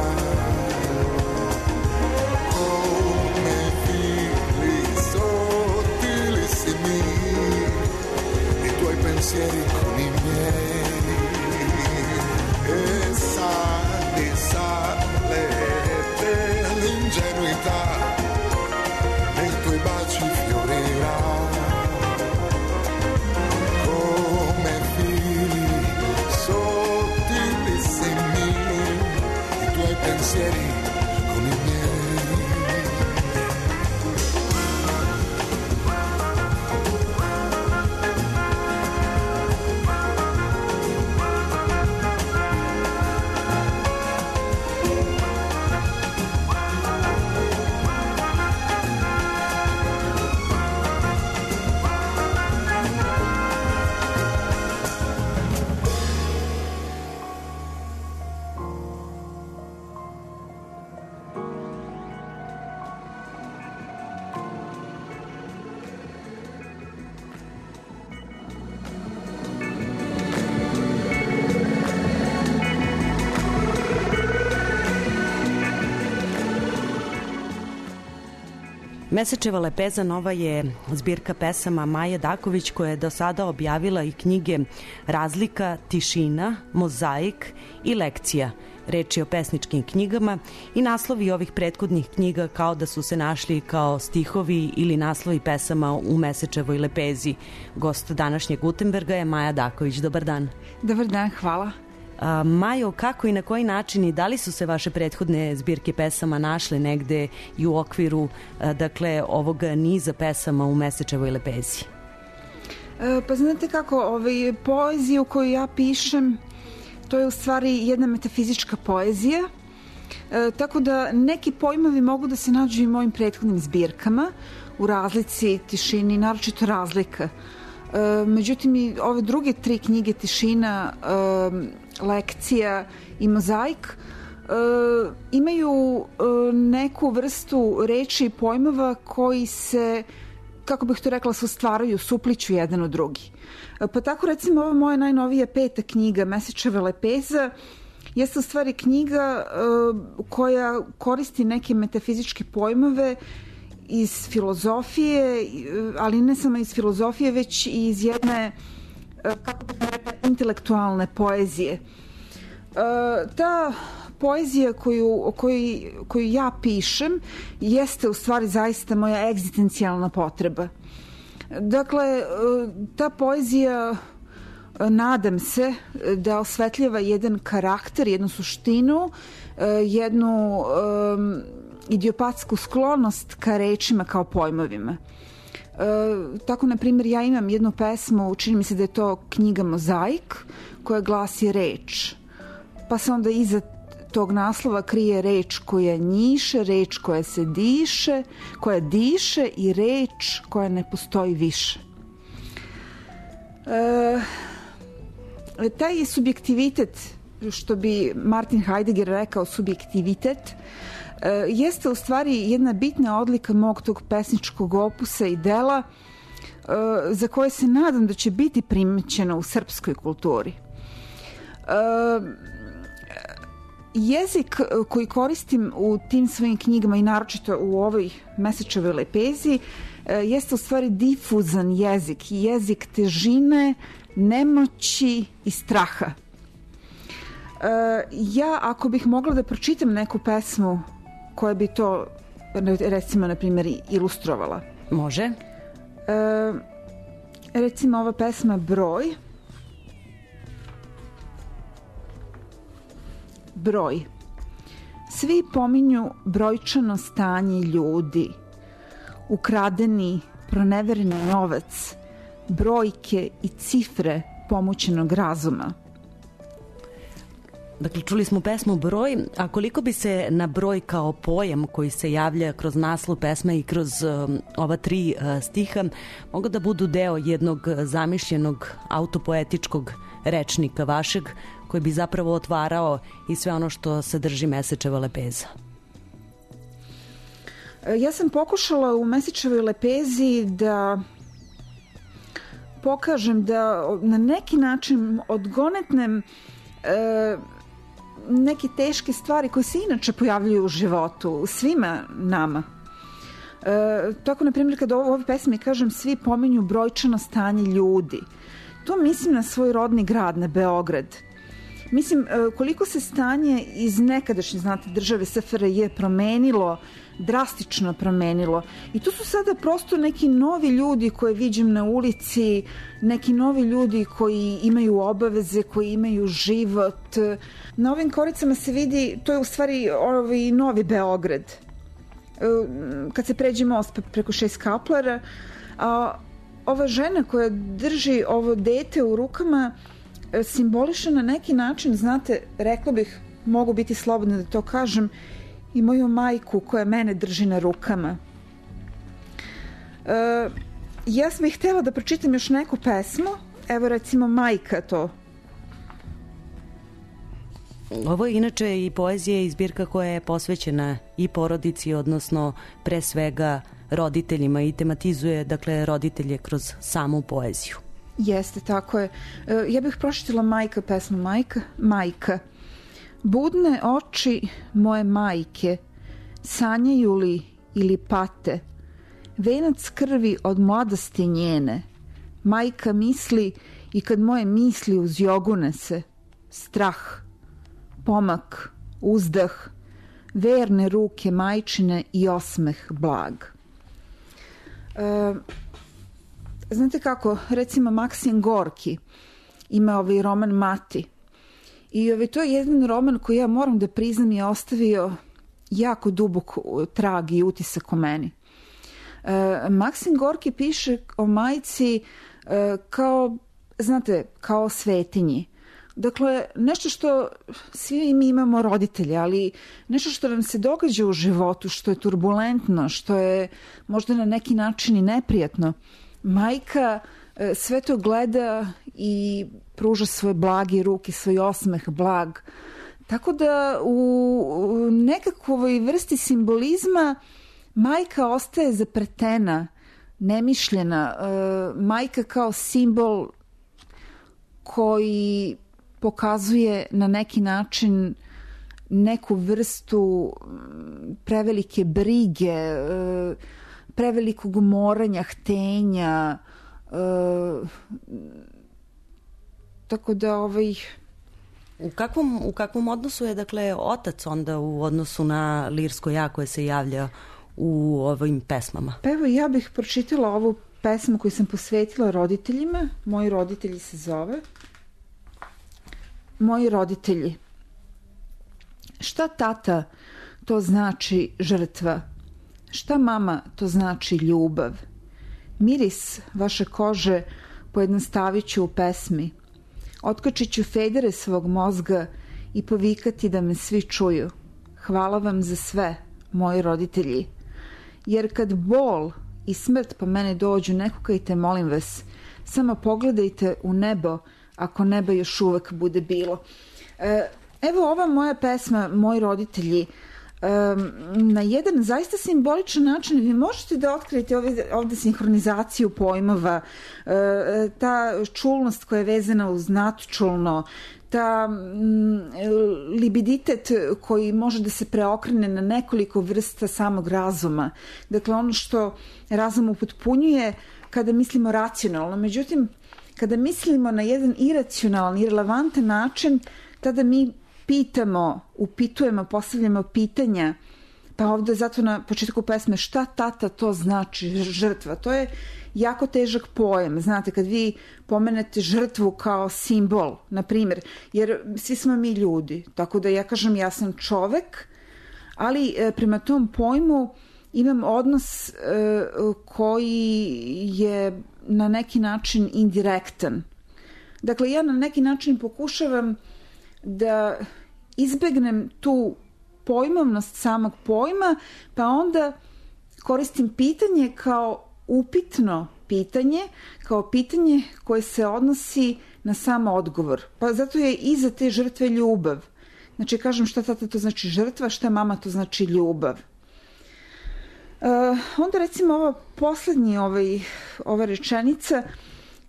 come fili sottilissimi, i tuoi pensieri con i miei, e sale dell'ingenuità, nei tuoi baci fiorirà pensieri con i miei. Mesečeva lepeza nova je zbirka pesama Maje Daković, koja je do sada objavila i knjige Razlika, Tišina, Mozaik i Lekcija. Reč je o pesničkim knjigama i naslovi ovih prethodnih knjiga kao da su se našli kao stihovi ili naslovi pesama u Mesečevoj lepezi. Gost današnjeg Gutenberga je Maja Daković. Dobar dan. Dobar dan, hvala. Majo, kako i na koji način i da li su se vaše prethodne zbirke pesama našle negde i u okviru dakle ovog niza pesama u Mesečevoj lepezi? Pa znate kako, poeziju koju ja pišem, to je u stvari jedna metafizička poezija, tako da neki pojmovi mogu da se nađu i u mojim prethodnim zbirkama, u Razlici, Tišini, naročito Razlika. Međutim, i ove druge tri knjige, Tišina, Lekcija i Mozaik, imaju neku vrstu reči i pojmova koji se, kako bih to rekla, se stvaraju, supliću jedan od drugi. Pa tako, recimo, ova moja najnovija 5. knjiga, Mesečeva lepeza, jeste u stvari knjiga koja koristi neke metafizičke pojmove iz filozofije, ali ne samo iz filozofije, već i iz jedne, kako bih rekla, intelektualne poezije. Ta poezija koju ja pišem jeste u stvari zaista moja egzistencijalna potreba. Dakle, ta poezija, nadam se, da osvetljava jedan karakter, jednu suštinu, jednu idiopatsku sklonost ka rečima kao pojmovima. Tako, na primjer, ja imam jednu pesmu, čini mi se da je to knjiga Mozaik, koja glasi reč. Pa se onda iza tog naslova krije reč koja njiše, reč koja se diše, koja diše i reč koja ne postoji više. Taj subjektivitet, što bi Martin Heidegger rekao subjektivitet, jeste u stvari jedna bitna odlika mog tog pesničkog opusa i dela za koje se nadam da će biti primećeno u srpskoj kulturi. Jezik koji koristim u tim svojim knjigama i naročito u ovoj Mesečevoj lepezi jeste u stvari difuzan jezik, jezik težine, nemoći i straha. Ja, ako bih mogla da pročitam neku pesmu koja bi to, recimo, na primjer, ilustrovala. Može. Recimo, ova pesma Broj. Broj. Svi pominju brojčano stanje ljudi, ukradeni, pronevereni novac, brojke i cifre pomućenog razuma. Dakle, čuli smo pesmu Broj, a koliko bi se na broj kao pojam koji se javlja kroz naslov pesme i kroz ova 3 stiha mogu da budu deo jednog zamišljenog autopoetičkog rečnika vašeg, koji bi zapravo otvarao i sve ono što sadrži Mesečeva lepeza? Ja sam pokušala u Mesečevoj lepezi da pokažem da na neki način odgonetnem neke teške stvari koje se inače pojavljuju u životu, svima nama. Tako, na primjer, kada u ovoj pesmi kažem svi pominju brojčano stanje ljudi, to mislim na svoj rodni grad, na Beograd. Mislim, koliko se stanje iz nekadašnje, znate, države SFRJ promenilo, drastično promenilo. I tu su sada prosto neki novi ljudi koje viđem na ulici, neki novi ljudi koji imaju obaveze, koji imaju život. Na ovim koricama se vidi, to je u stvari novi Beograd. Kad se pređe most preko 6 kaplara, a ova žena koja drži ovo dete u rukama simboliše na neki način, znate, rekla bih, mogu biti slobodna da to kažem, i moju majku koja mene drži na rukama. Ja bih htjela da pročitam još neku pesmu, evo recimo Majka to. Ovo je inače i poezija i zbirka koja je posvećena i porodici, odnosno pre svega roditeljima, i tematizuje, dakle, roditelje kroz samu poeziju. Jeste, tako je. Ja bih pročitala Majka, pesmu Majka. Majka. Budne oči moje majke, sanjaju li ili pate, venac krvi od mladosti njene. Majka misli i kad moje misli uz jogune se, strah, pomak, uzdah, verne ruke majčine i osmeh blag. Znate kako, recimo Maksim Gorki ima ovaj roman Mati. I to je jedan roman koji, ja moram da priznam, je ostavio jako dubok trag i utisak o meni. Maksim Gorki piše o majci kao, znate, kao svetinji. Dakle, nešto što svi mi imamo roditelje, ali nešto što nam se događa u životu, što je turbulentno, što je možda na neki način i neprijatno. Majka sve to gleda i pruža svoje blage ruke, svoj osmeh blag. Tako da u nekakvoj vrsti simbolizma majka ostaje zapretena, nemišljena. Majka kao simbol koji pokazuje na neki način neku vrstu prevelike brige, prevelikog moranja, htenja, tako da U kakvom odnosu je, dakle, otac onda u odnosu na lirsko ja koje se javlja u ovim pesmama? Pa evo, ja bih pročitala ovu pesmu koju sam posvetila roditeljima. Moji roditelji se zove. Moji roditelji. Šta tata, to znači žrtva. Šta mama, to znači ljubav. Miris vaše kože pojednostavit ću u pesmi. Otkačit ću federe svog mozga i povikati da me svi čuju. Hvala vam za sve, moji roditelji. Jer kad bol i smrt po mene dođu, ne kukajte, molim vas. Samo pogledajte u nebo, ako neba još uvek bude bilo. Evo ova moja pesma, Moji roditelji, na jedan zaista simboličan način vi možete da otkrijete ovde sinhronizaciju pojmova, ta čulnost koja je vezana uz nadčulno, ta libiditet koji može da se preokrene na nekoliko vrsta samog razuma. Dakle, ono što razum upotpunjuje kada mislimo racionalno. Međutim, kada mislimo na jedan iracionalan, irelevantan način, tada mi pitamo, upitujemo, postavljamo pitanja. Pa ovde zato na početku pesme šta tata, to znači žrtva. To je jako težak pojam. Znate, kad vi pomenete žrtvu kao simbol, na primjer, jer svi smo mi ljudi, tako da ja kažem ja sam čovek, ali prema tom pojmu imam odnos koji je na neki način indirektan. Dakle, ja na neki način pokušavam da izbegnem tu pojmovnost samog pojma, pa onda koristim pitanje kao upitno pitanje, kao pitanje koje se odnosi na sam odgovor. Pa zato je iza te žrtve ljubav. Znači, kažem šta tata to znači žrtva, šta mama to znači ljubav. Onda recimo ova poslednja ova rečenica,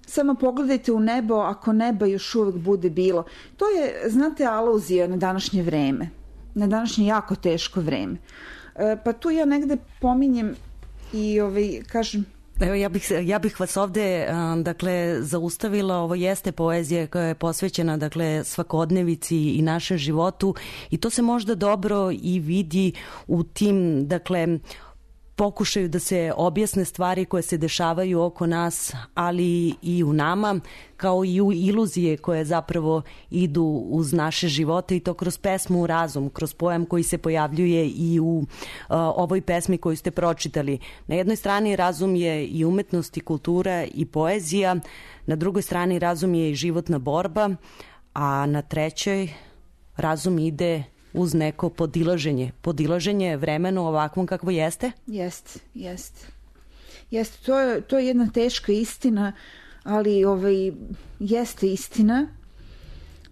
samo pogledajte u nebo ako neba još uvek bude bilo. To je, znate, aluzija na današnje vreme, na današnje jako teško vreme. Pa tu ja negde pominjem i kažem... Evo, ja bih vas ovde zaustavila. Ovo jeste poezija koja je posvećena svakodnevici i našem životu i to se možda dobro i vidi u tim pokušaju da se objasne stvari koje se dešavaju oko nas, ali i u nama, kao i u iluzije koje zapravo idu uz naše živote i to kroz pesmu Razum, kroz pojam koji se pojavljuje i u ovoj pesmi koju ste pročitali. Na jednoj strani razum je i umetnost i kultura i poezija, na drugoj strani razum je i životna borba, a na trećoj razum ide uz neko podilaženje vremenu ovakvom kakvo jeste? Jeste, to je jedna teška istina, ali jeste istina.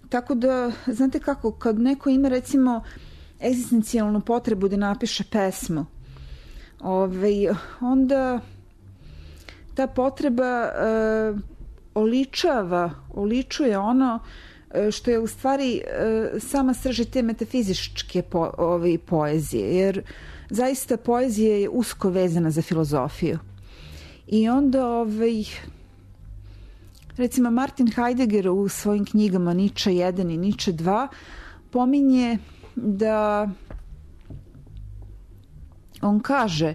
Tako da, znate kako, kad neko ima recimo egzistencijalnu potrebu da napiše pesmu, onda ta potreba oličuje ono što je u stvari sama srž te metafizičke poezije, jer zaista poezija je usko vezana za filozofiju. I onda recimo Martin Heidegger u svojim knjigama Nietzsche 1 i Nietzsche 2 pominje da on kaže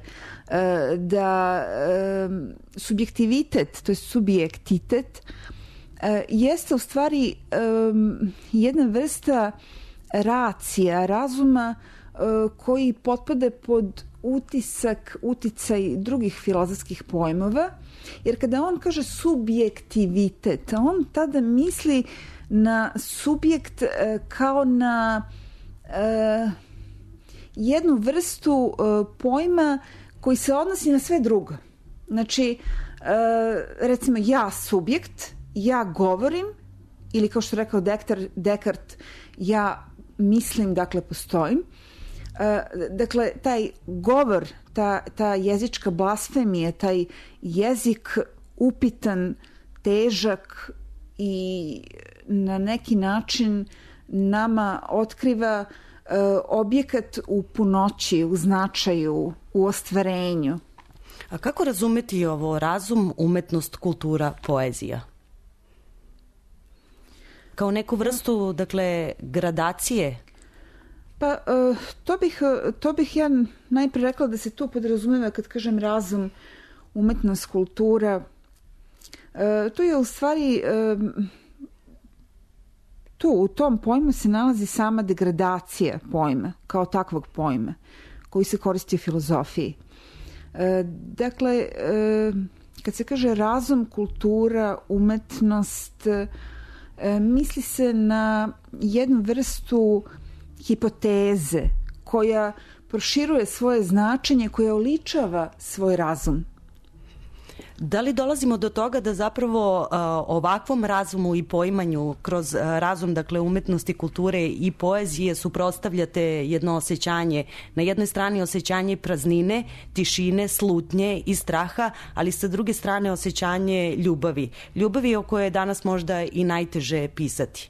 da subjektivitet, to je subjektitet, jeste u stvari jedna vrsta racija, razuma koji potpada pod uticaj drugih filozofskih pojmova, jer kada on kaže subjektivitet, on tada misli na subjekt kao na jednu vrstu pojma koji se odnosi na sve drugo. Znači, recimo ja subjekt, ja govorim, ili kao što rekao Descartes, ja mislim, dakle postojim. Dakle, taj govor, ta jezička blasfemija, taj jezik upitan, težak i na neki način nama otkriva objekat u punoći, u značaju, u ostvarenju. A kako razumeti ovo razum, umetnost, kultura, poezija? Kao neku vrstu, gradacije? Pa, to bih ja najprije rekla da se tu podrazumeva kad kažem razum, umetnost, kultura. To je u stvari, tu u tom pojmu se nalazi sama degradacija pojma, kao takvog pojma, koji se koristi u filozofiji. Dakle, kad se kaže razum, kultura, umetnost, misli se na jednu vrstu hipoteze koja proširuje svoje značenje, koja oličava svoj razum. Da li dolazimo do toga da zapravo ovakvom razumu i poimanju kroz razum, umetnosti, kulture i poezije suprotstavljate jedno osjećanje, na jednoj strani osjećanje praznine, tišine, slutnje i straha, ali sa druge strane osjećanje ljubavi o kojoj je danas možda i najteže pisati?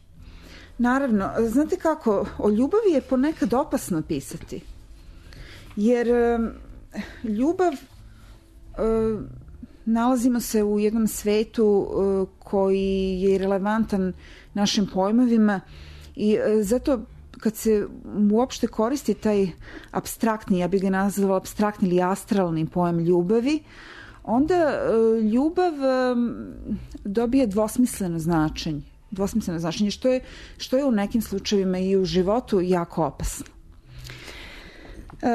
Naravno, znate kako, o ljubavi je ponekad opasno pisati, jer ljubav, nalazimo se u jednom svetu koji je relevantan našim pojmovima i zato kad se uopšte koristi taj apstraktni, ja bih ga nazvala apstraktni ili astralni pojam ljubavi, onda ljubav dobije dvosmisleno značenje, što je u nekim slučajevima i u životu jako opasno.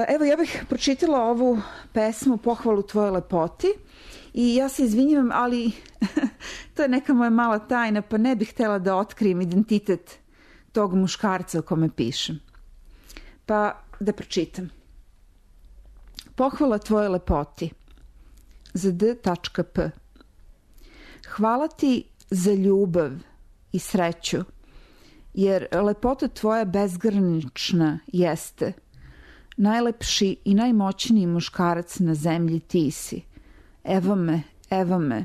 Evo, ja bih pročitala ovu pesmu Pohvalu tvoje lepoti i ja se izvinjavam, ali to je neka moja mala tajna, pa ne bih htjela da otkrijem identitet tog muškarca o kome pišem. Pa da pročitam. Pohvala tvoje lepoti. Za D.P. Hvala ti za ljubav i sreću, jer lepota tvoja bezgranična jeste. Najlepši i najmoćniji muškarac na zemlji ti si. Evo me, evo me.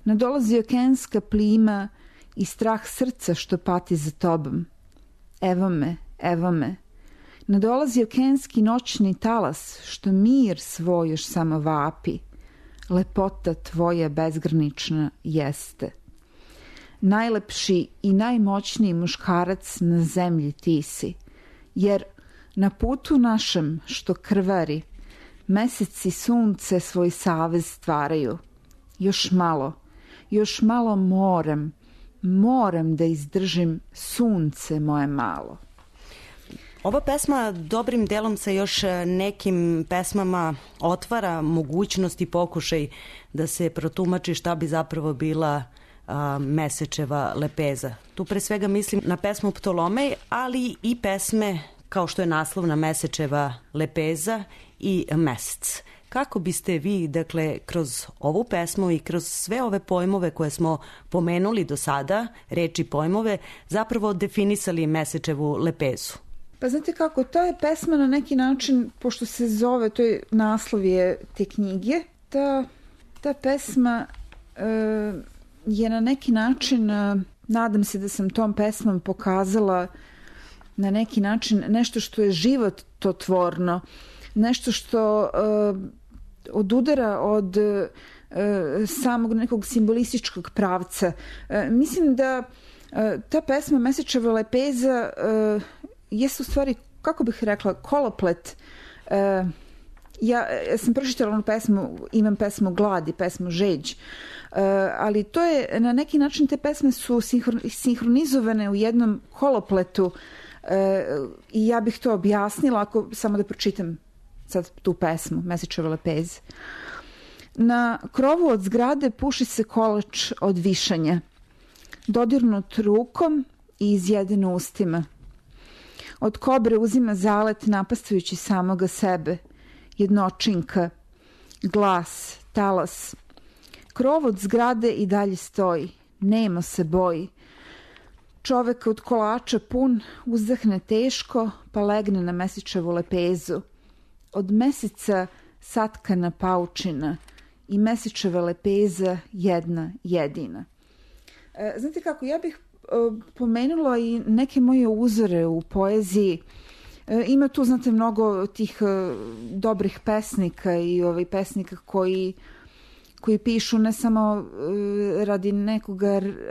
Nadolazi okeanska plima i strah srca što pati za tobom. Evo me, evo me. Nadolazi okeanski noćni talas što mir svoj još samo vapi. Lepota tvoja bezgranična jeste. Najlepši i najmoćniji muškarac na zemlji ti si, jer na putu našem što krvari, meseci sunce svoj savez stvaraju. Još malo moram da izdržim sunce moje malo. Ova pesma dobrim delom sa još nekim pesmama otvara mogućnost i pokušaj da se protumači šta bi zapravo bila Mesečeva lepeza. Tu pre svega mislim na pesmu Ptolomej, ali i pesme kao što je naslovna Mesečeva lepeza i Mesec. Kako biste vi, dakle, kroz ovu pesmu i kroz sve ove pojmove koje smo pomenuli do sada, reči pojmove, zapravo definisali Mesečevu lepezu? Pa znate kako, ta je pesma na neki način, pošto se zove, to je naslov je te knjige, ta pesma je na neki način, nadam se da sam tom pesmom pokazala na neki način nešto što je živototvorno, nešto što odudara od samog nekog simbolističkog pravca. Mislim da ta pesma Mesečeva lepeza jeste u stvari, kako bih rekla, koloplet. Ja sam pročitala onu pesmu, imam pesmu Glad i pesmu Žeđ, ali to je, na neki način te pesme su sinhronizovane u jednom kolopletu i ja bih to objasnila ako samo da pročitam sad tu pesmu Mesečeva lepeza. Na krovu od zgrade puši se kolač od višanja, dodirnut rukom i izjeden ustima. Od kobre uzima zalet napastujući samoga sebe, jednočinka, glas, talas. Krov od zgrade i dalje stoji, nemo se boji. Čovek od kolača pun uzdahne teško pa legne na Mesečevu lepezu. Od meseca satkana paučina i Mesečeva lepeza jedna jedina. Znate kako, ja bih pomenula i neke moje uzore u poeziji. Ima tu, znate, mnogo tih dobrih pesnika i pesnika koji pišu ne samo radi nekog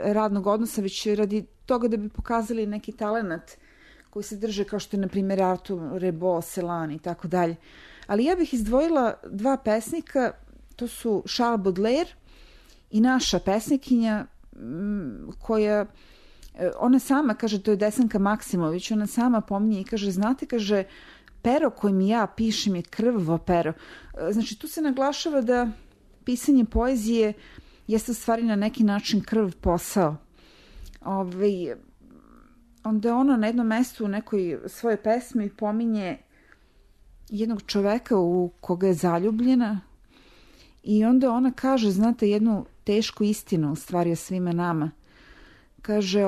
radnog odnosa, već radi toga da bi pokazali neki talenat koji se drže, kao što je, na primjer, Arthur Rimbaud, Celan i tako dalje. Ali ja bih izdvojila dva pesnika, to su Charles Baudelaire i naša pesnikinja koja, ona sama kaže, to je Desanka Maksimović, ona sama pominje i kaže, znate, kaže, pero kojim ja pišem je krvavo pero. Znači, tu se naglašava da pisanje poezije jeste u stvari na neki način krv posao. Onda ona na jednom mestu u nekoj svojoj pesmi pominje jednog čoveka u koga je zaljubljena i onda ona kaže, znate, jednu tešku istinu u stvari o svima nama. Kaže,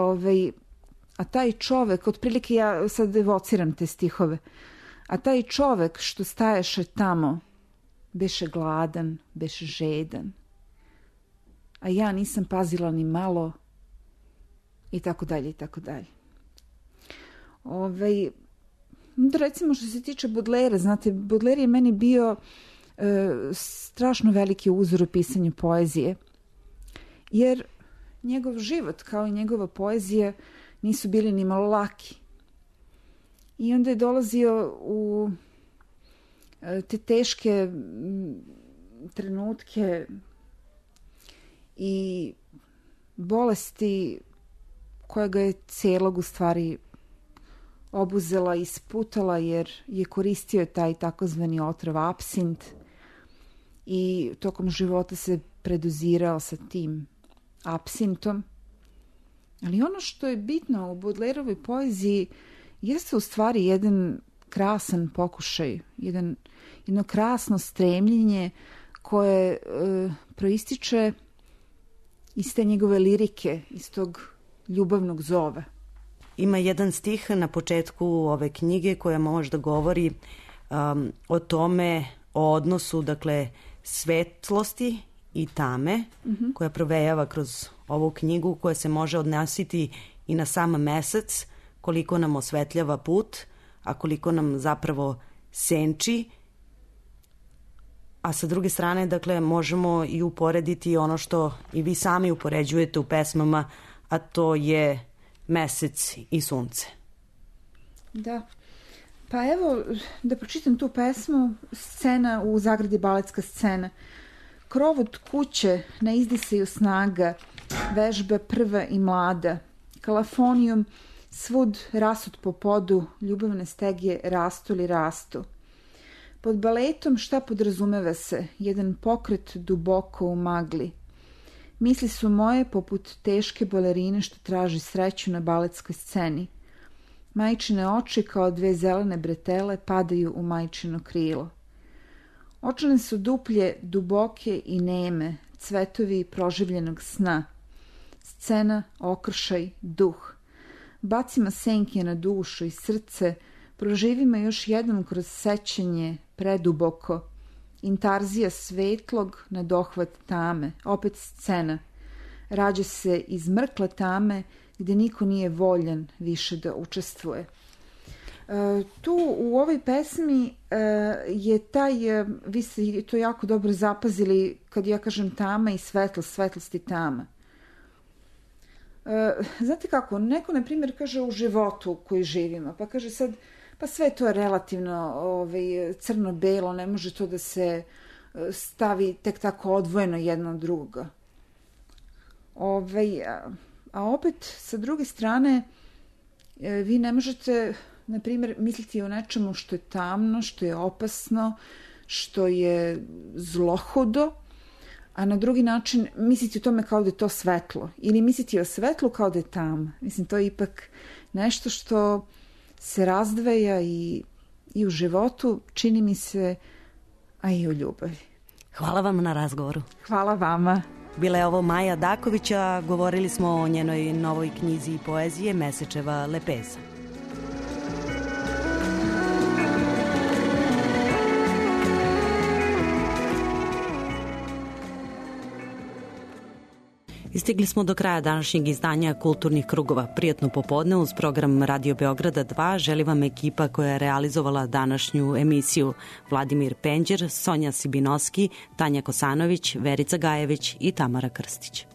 a taj čovek, otprilike ja sad evociram te stihove, a taj čovek što staješe tamo beše gladan, beše žedan, a ja nisam pazila ni malo i tako dalje i tako dalje. Recimo što se tiče Baudelaire, znate, Baudelaire je meni bio strašno veliki uzor u pisanju poezije, jer njegov život kao i njegova poezija nisu bili ni malo laki. I onda je dolazio u te teške trenutke i bolesti koja ga je celog u stvari obuzela i sputala, jer je koristio taj takozvani otrov apsint i tokom života se predozirao sa tim apsintom. Ali ono što je bitno u Baudelaireovoj poeziji jeste u stvari jedan krasan pokušaj, jedno krasno stremljenje koje proističe iz te njegove lirike, iz tog ljubavnog zova. Ima jedan stih na početku ove knjige koja možda govori o tome, o odnosu, dakle, svetlosti i tame, koja provejava kroz ovu knjigu, koja se može odnositi i na sam mesec, koliko nam osvetljava put, a koliko nam zapravo senči. A sa druge strane, dakle, možemo i uporediti ono što i vi sami upoređujete u pesmama, a to je mesec i sunce. Da. Pa evo, da pročitam tu pesmu, scena u zagradi, baletska scena. Krov od kuće na izdisaju snaga, vežba prva i mlada. Kalafonijum svud rasut po podu, ljubavne stegije rastu li rastu. Pod baletom šta podrazumeva se? Jedan pokret duboko u magli. Misli su moje poput teške balerine što traži sreću na baletskoj sceni. Majčine oči kao dve zelene bretele padaju u majčino krilo. Očane su duplje, duboke i neme, cvetovi proživljenog sna. Scena, okršaj, duh. Bacima senke na dušu i srce, proživimo još jednom kroz sećanje, preduboko. Intarzija svetlog na dohvat tame, opet scena. Rađa se iz mrkle tame gde niko nije voljan više da učestvuje. Tu u ovoj pesmi je taj, vi ste to jako dobro zapazili kad ja kažem tama i svetlost, svetlost i tama. Znate kako, neko na primjer kaže u životu u koji živimo, pa kaže sad, pa sve to je relativno crno-belo, ne može to da se stavi tek tako odvojeno jedno od drugoga. A opet, sa druge strane, vi ne možete, na primjer, misliti o nečemu što je tamno, što je opasno, što je zlohudo, a na drugi način misliti o tome kao da je to svetlo. Ili misliti o svetlu kao da je tama. Mislim, to je ipak nešto što se razdvaja i u životu, čini mi se, a i u ljubavi. Hvala vam na razgovoru. Hvala vama. Bila je ovo Maja Dakovića, govorili smo o njenoj novoj knjizi i poezije Mesečeva lepeza. Istigli smo do kraja današnjeg izdanja Kulturnih krugova. Prijatno popodne uz program Radio Beograda 2 želi vam ekipa koja je realizovala današnju emisiju: Vladimir Penđer, Sonja Sibinoski, Tanja Kosanović, Verica Gajević i Tamara Krstić.